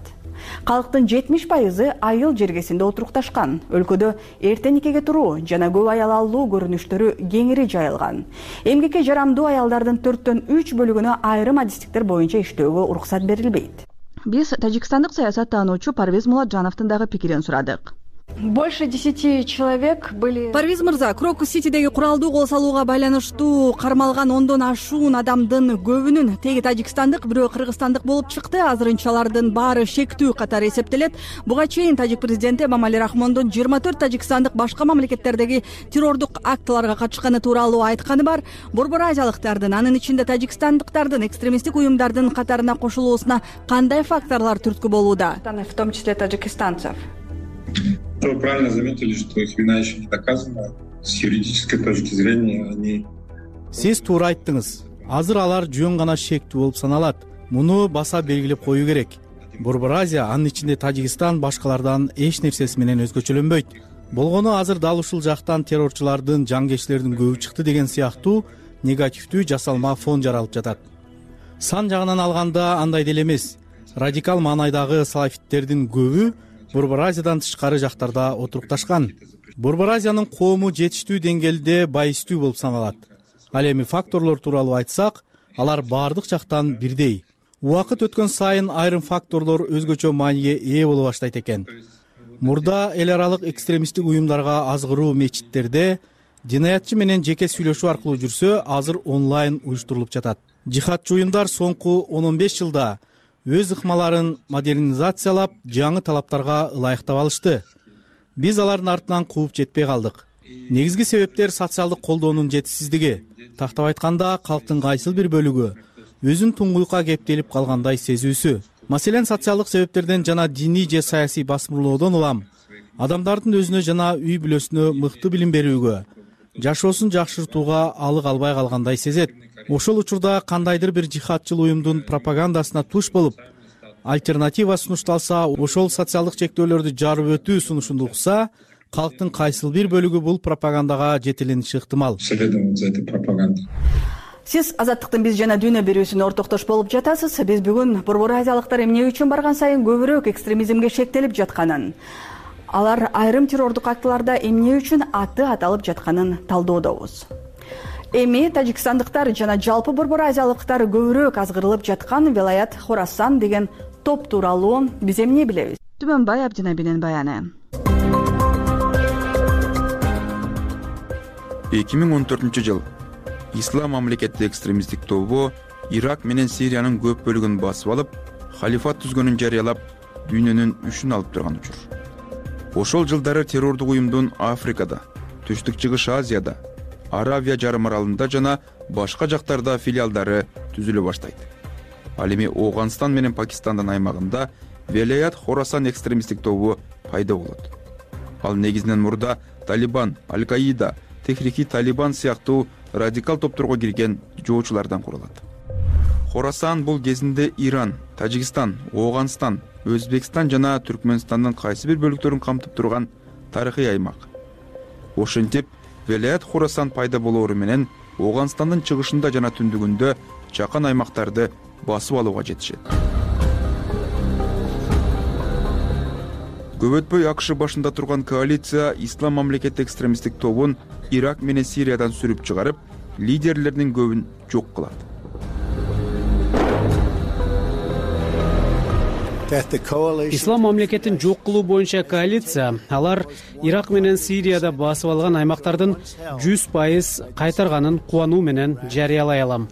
Калктын 70% айыл жергесинде отурукташкан. Өлкөдө эрте никеге туруу жана көп аял алуу көрүнүштөрү кеңири жайылган. Эмгекке жарамдуу аялдардын 4/3 бөлүгүнө айрым адистиктер боюнча иштөөгө уруксат берилбейт. Биз тажикстандык саясаттануучу Парвиз Муладжановдун дагы пикирин сурадык. Больше 10 человек были. Парвиз мырза, Крокус-Ситидеги куралдуу кол салууга байланыштуу кармалган 10дон ашуун адамдын көбүнүн теги тажикстандык, бирөө кыргызстандык болуп чыкты. Азырынча алардын баары шектүү катары эсептелет. Буга чейин тажик президенти Эмомали Рахмондун 24 тажикстандык башка мамлекеттердеги террордук актыларга катышканы тууралуу айтканы бар. Борбор азиялыктардын, анын ичинде тажикстандыктардын экстремисттик уюмдардын катарына кошулуусуна кандай факторлор түрткү болууда? В том числе таджикистанцев. Вы правильно заметили, что их вина еще не доказана. С юридической точки зрения они... Сиз туура айттыңыз. Азыр алар жөн гана шектүү болуп саналат. Муну баса белгилеп коюу керек. Борбор Азия, анын ичинде Тажикстан башкалардан эч нерсеси менен өзгөчөлөнбөйт. болгону азыр дал ушул жактан террорчулардын жангечилердин көбү чыкты деген сыяктуу негативдүү жасалма фон жаралып жатат. Сан жагынан алганда андай деле эмес. Радикал маанайдагы салафиттердин көбү Борбор Азиядан тышкары жактарда отурукташкан. Борбор Азиянын коому жетиштүү деңгээлде байыстүү болуп саналат. Ал эми факторлор тууралуу айтсак, алар баардык жактан бирдей. Убакыт өткөн сайын айрым факторлор өзгөчө мааниге ээ боло баштайт экен. Мурда эл аралык экстремисттик уюмдарга азгыруу мечиттерде динаятчы менен жеке сүйлөшүү аркылуу жүрсө, азыр онлайн уюштурулуп жатат. Жихадчы уюмдар соңку 10-15 жылда өз ыкмаларын модернизациялап, жаңы талаптарга ылайыктап алышты. Биз алардын артынан кууп жетпей калдык. Негизги себептер социалдык колдоонун жетишсиздиги. Тактап айтканда, калктын кайсыл бир бөлүгү өзүн туңгуйка кептелип калгандай сезүүсү. Маселен, социалдык себептерден жана диний же саясий басмырлоодон улам адамдардын өзүнө жана үй бүлөсүнө мыкты билим берүүгө, жашоосун жакшыртууга алык албай калгандай сезет. Ошол учурда кандайдыр бир жихадчыл уюмдун пропагандасына туш болуп, альтернатива сунушталса, ошол социалдык чектөөлөрдү жарып өтүү сунушун укса, калктын кайсыл бир бөлүгү бул пропагандага жетелениши ыктымал. Сиз Азаттыктын биз жана дүйнө берүүсүнө ортоктош болуп жатасыз. Биз бүгүн Борбор Азиялыктар эмне үчүн барган сайын көбүрөөк экстремизмге шектелип жатканын, алар айрым террордук актыларда эмне үчүн аты аталып жатканын талдоодобуз. Эми тажикстандыктар жана жалпы Борбор Азиялыктар көбүрөөк азгырылып жаткан Велаят Хорасан деген топ тууралуу биз эмне билебиз? Түмөнбай Абдинабинин баяны. 2014-жыл Ислам мамлекети экстремисттик тобу Ирак менен Сириянын көп бөлүгүн басып алып, халифат түзгөнүн жарыялап, дүйнөнүн үшүн алып турган учур. Ошол жылдары террордук уюмдун Африкада, Түштүк Чыгыш Азияда, Аравия жарым аралында жана башка жактарда филиалдары түзүлө баштайт. Ал эми Ооганстан менен Пакистандын аймагында Велаят Хорасан экстремисттик тобу пайда болот. Ал негизинен мурда Талибан, Аль-Каида, Техрики Талибан сыяктуу радикал топторго кирген жоочулардан куралат. Хорасан бул кезинде Иран, Тажикстан, Ооганстан, Өзбекстан жана Түркмөнстандын кайсы бир бөлүктөрүн камтып турган тарыхый аймак. Ошентип, Велаят Хорасан пайда болоору менен Ооганстандын чыгышында жана түндүгүндө жакын аймактарды басып алууга жетишет. Көп өтпөй АКШ башында турган коалиция Ислам мамлекети экстремисттик тобун Ирак менен Сириядан сүрүп чыгарып, лидерлеринин көбүн жок кылат. Ислам мамлекетин жок кылуу боюнча коалиция алар Ирак менен Сирияда басып алган аймактардын 100% кайтарганын кубануу менен жарыялай алам.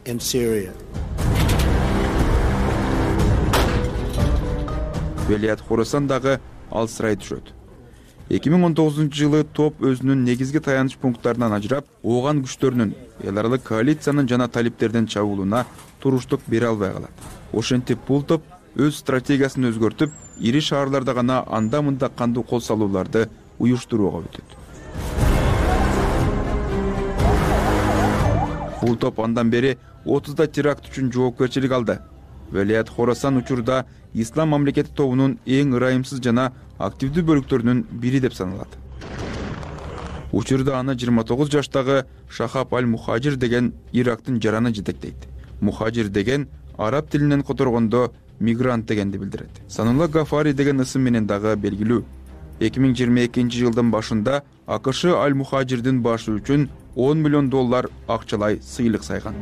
Велаят Хорасан дагы алсырай түшөт. 2019-жылы топ өзүнүн негизги таяныч пункттарынан ажырап, ооган күчтөрүнүн эл аралык коалициянын жана талиптердин чабуулуна туруштук бере албай калат. Ошентип бул топ өз стратегиясын өзгөртүп, ири шаарларда гана анда-мында кандуу кол салууларды уюштурууга өтөт. Бул топ андан бери 30 теракт үчүн жоопкерчилик алды. Велаят Хорасан учурда Ислам мамлекети тобунун эң ырайымсыз жана активдүү бөлүктөрүнүн бири деп саналат. Учурда аны 29 жаштагы Шахаб Аль-Мухажир деген Ирактын жараны жетектейт. Мухажир деген араб тилинен которгондо мигрант дегенди билдирет. Санулла Гафари деген ысым менен дагы белгилүү. 2022-жылдын башында АКШ Аль-Мухажирдин башы үчүн $10 миллион акчалай сыйлык сайган.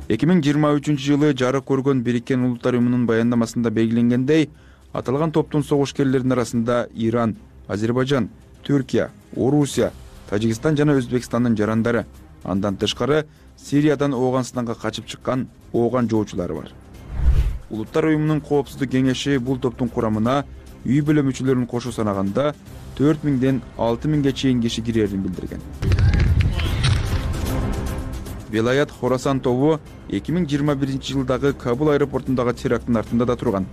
2023-жылы жарык көргөн Бириккен Улуттар Уюмунун баяндамасында белгиленгендей, аталган топтун согушкерлеринин арасында Иран, Азербайжан, Түркия, Орусия, Тажикстан жана Өзбекстандын жарандары, андан тышкары Сириядан Ооганстанга качып чыккан ооган жоочулары бар. Улуттар Уюмунун коопсуздук кеңеши бул топтун курамына үй бүлө мүчөлөрүн кошо санаганда 4000ден 6000ге чейин киши кирерин билдирген. Велаят Хорасан тобу 2021-жылдагы Кабул аэропортундагы теракттын артында да турган.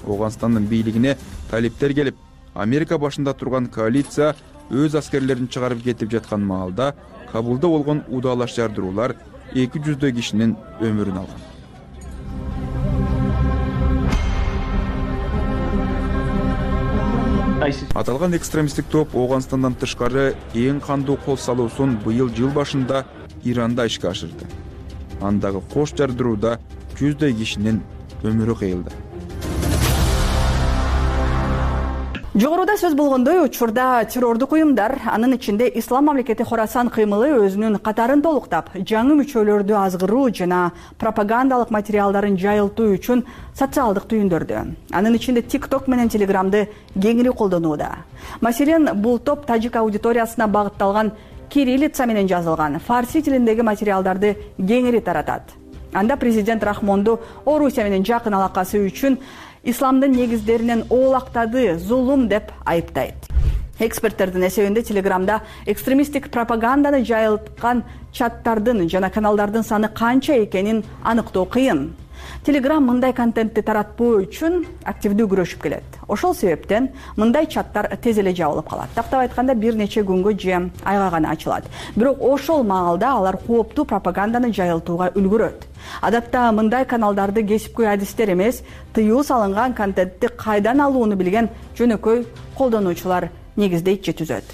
Ооганстандын бийлигине талиптер келип, Америка башында турган коалиция өз аскерлерин чыгарып кетип жаткан маалда Кабулда болгон удаалаш жардыруулар 200 кишинин өмүрүн алган. Аталган экстремисттик топ Ооганстандан тышкары эң кандуу кол салуусун быйыл жыл башында Иранда ишке ашырды. Андагы кош жардырууда жүздөй кишинин өмүрү кыйылды. Жогоруда сөз болгондой, учурда террордук уюмдар, анын ичинде Ислам мамлекети Хорасан кыймылы өзүнүн катарын толуктап, жаңы мүчөлөрдү азгыруу жана пропагандалык материалдарын жайылтуу үчүн социалдык түйүндөрдү, анын ичинде TikTok менен Telegram'ды кеңири колдонууда. Маселен, бул топ тажик аудиториясына багытталган кириллица менен жазылган фарси тилиндеги материалдарды кеңири таратат. Анда президент Рахмонду Орусия менен жакын алакасы үчүн исламдын негиздеринен оолактады, зулум деп айыптайт. Эксперттердин эсебинде Телеграмда экстремисттик пропаганданы жайылткан чаттардын жана каналдардын саны канча экенин аныктоо кыйын. Телеграм мындай контентти таратпоо үчүн активдүү күрөшүп келет. Ошол себептен мындай чаттар тез эле жабылып калат. Тактап айтканда бир нече күнгө же айга гана ачылат. Бирок ошол маалда алар кооптуу пропаганданы жайылтууга үлгүрөт. Адатта мындай каналдарды кесипкөй адистер эмес, тыюу салынган контентти кайдан алууну билген жөнөкөй колдонуучулар негиздейт же түзөт.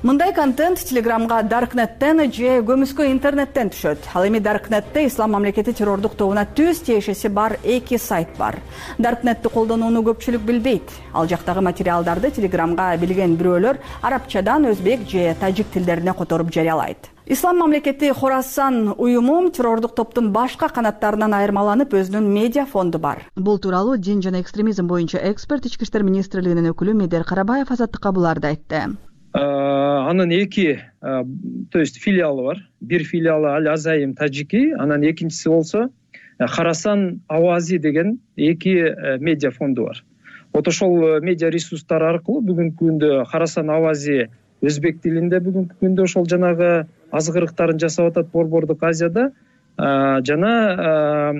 Мындай контент Телеграмга Darknet'тен же көмүскө интернеттен түшөт. Ал эми Darknet'те Ислам мамлекети террордук тобуна түз тиешеси бар 2 сайт бар. Darknet'ти колдонууну көпчүлүк билбейт. Ал жактагы материалдарды Телеграмга билген бирөөлөр арабчадан өзбек же тажик тилдерине которуп жарыялайт. Ислам мамлекети Хорасан уюму террордук топтун башка канаттарынан айырмаланып өзүнүн медиа фонду бар. Бул тууралуу дин жана экстремизм боюнча эксперт Ички иштер министрлигинин өкүлү Медер Карабаев Азаттыкка буларды айтты. Анын эки, то есть филиалы бар. Бир филиалы Аль-Азайим Таджики, анан экинчиси болсо Хорасан Авази деген эки медиа фонду бар. Вот ошол медиа ресурстар аркылуу бүгүнкү күндө Хорасан Авази өзбек тилинде бүгүнкү күндө ошол жанагы азгырыктарын жасап атат Борбордук Азияда, жана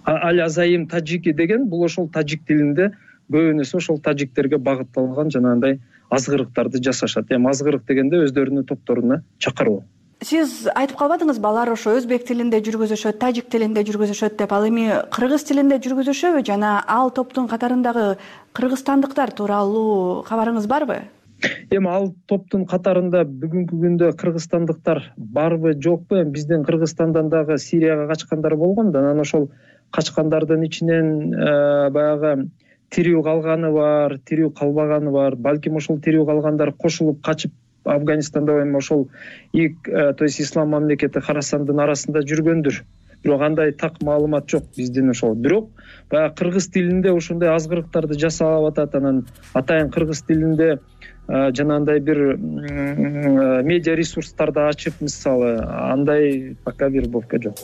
Аль-Азайим Таджики деген бул ошол тажик тилинде көбүнесе ошол тажиктерге багытталган жанагындай азгырыктарды жасашат. Эми азгырык дегенде өздөрүнүн топторуна чакыруу. Сиз айтып калбадыңызбы, алар ошо өзбек тилинде жүргүзүшөт, тажик тилинде жүргүзүшөт деп. Ал эми кыргыз тилинде жүргүзүшөбү жана ал топтун катарындагы кыргызстандыктар тууралуу кабарыңыз барбы? Эми ал топтун катарында бүгүнкү күндө кыргызстандыктар барбы, жокпу? Биздин Кыргызстандан дагы Сирияга качкандар болгон да, анан ошол качкандардын ичинен баягы тирүү калганы бар, тирүү калбаганы бар. Балким ошол тирүү калгандар кошулуп качып Афганистанда эми ошол то есть Ислам мамлекети Хорасандын арасында жүргөндүр. Бирок андай так маалымат жок биздин ошол. Бирок баягы кыргыз тилинде ошондой азгырыктарды жасап атат. Анан атайын кыргыз тилинде жанагындай бир медиа ресурстарды ачып, мисалы, андай пока вербовка жок.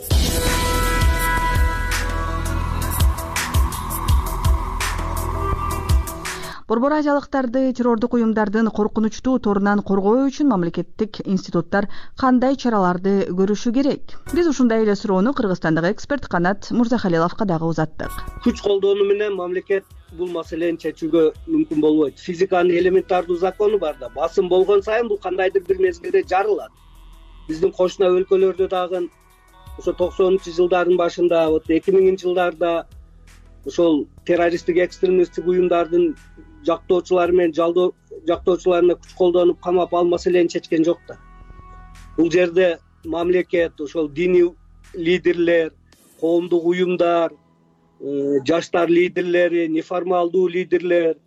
Борбор азиялыктарды террордук уюмдардын коркунучтуу торунан коргоо үчүн мамлекеттик институттар кандай чараларды көрүшү керек? Биз ушундай эле суроону Кыргызстандагы эксперт Канат Мурзахалиловго дагы узаттык. Күч колдонуу менен мамлекет бул маселени чечүүгө мүмкүн болбойт. Физиканын элементардуу закону бар да, басым болгон сайын бул кандайдыр бир мезгилде жарылат. Биздин кошуна өлкөлөрдө дагы ошо 90-жылдардын башында, 2000-жылдарда ошол террористтик экстремисттик уюмдардын жактоочулары менен жактоочуларына күч колдонуп камап ал маселени чечкен жок да. Бул жерде мамлекет, ошол диний лидерлер, коомдук уюмдар, жаштар лидерлери, неформалдуу лидерлер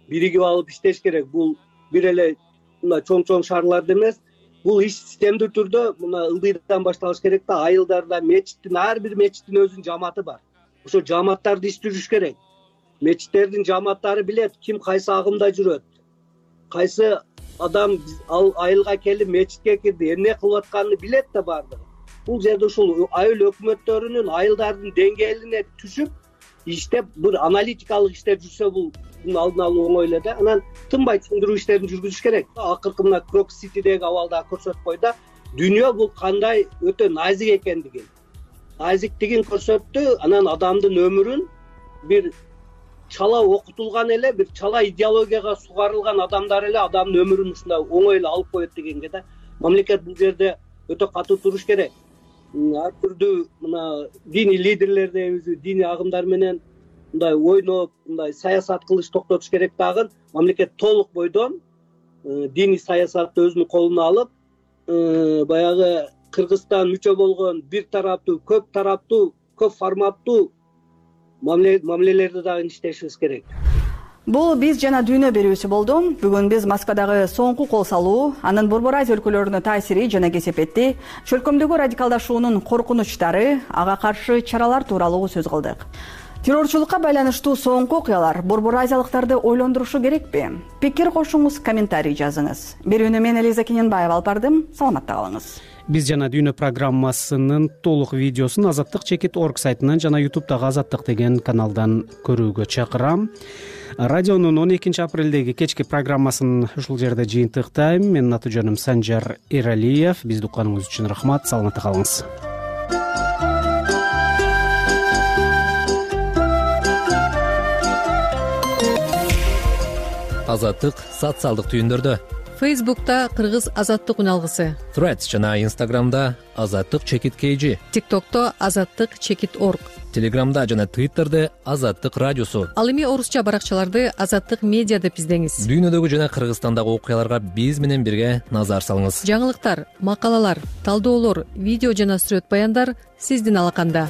биригип алып иштеш керек. Бул бир эле мына чоң шаарларда эмес, бул иш системдүү түрдө мына ылдыйдан башталыш керек да. Айылдарда мечиттин, ар бир мечиттин өзүнүн жамааты бар. Ошо жамааттарды иштириш керек. Мечиттердин жамааттары билет ким кайсы агымда жүрөт. Кайсы адам ал айылга келип мечитке кирди, эмне кылып атканын билет да бардыгы. Бул жерде ушул айыл өкмөттөрүнүн айылдардын деңгээлине түшүп иштеп бир аналитикалык иштер жүрсө бунун алдын алуу оңой эле да. Анан тынбай түшүндүрүү иштерин жүргүзүш керек. Акыркы мына Крок-Ситидеги абалда көрсөтүп койду. Дүйнө бул кандай өтө назик экендигин, назиктигин көрсөттү. Анан адамдын өмүрүн бир чала окутулган эле, бир чала идеологияга сугарылган адамдар эле адамдын өмүрүн ушундай оңой эле алып коет дегенге да мамлекет бул жерде өтө катуу туруш керек. Ар түрдүү мына диний лидерлер дейбиз, диний агымдар менен мындай ойноп мындай саясат кылыш токтотуш керек дагы. Мамлекет толук бойдон диний саясатты өзүнүн колуна алып, баягы Кыргызстан мүчө болгон бир тараптуу, көп тараптуу, көп форматтуу мамилелерди дагы иштешибиз керек. Бул биз жана дүйнө берүүсү болду. Бүгүн биз Москвадагы соңку кол салуу, анын Борбор Азия өлкөлөрүнө таасири жана кесепети, чөлкөмдөгү радикалдашуунун коркунучтары, ага каршы чаралар тууралуу сөз кылдык. Террорчулукка байланыштуу соңку окуялар Борбор Азиялыктарды ойлондурушу керекпи? Пикир кошуңуз, комментарий жазыңыз. Берүүнү мен Элиза Кененбаева алып бардым. Саламатта калыңыз. Биз жана дүйнө программасынын толук видеосун azattik.org сайтынан жана YouTube'дагы Азаттык деген каналдан көрүүгө чакырам. Радионун 12 апрелдеги кечки программасын ушул жерде жыйынтыктайм. Менин аты жөнүм Санжар Эралиев. Бизди укканыңыз үчүн рахмат. Саламатта калыңыз. Азаттык социалдык түйүндөрдө. Фейсбукта Кыргыз Азаттык үналгысы, Threads жана Instagramда Азаттык_KG, TikTokто Азаттык_org, Telegramда жана Twitterде Азаттык радиосу. Ал эми орусча баракчаларды Азаттык медиа деп издеңиз. Дүйнөдөгү жана Кыргызстандагы окуяларга биз менен бирге назар салыңыз. Жаңылыктар, макалалар, талдоолор, видео жана сүрөт баяндар сиздин алаканда.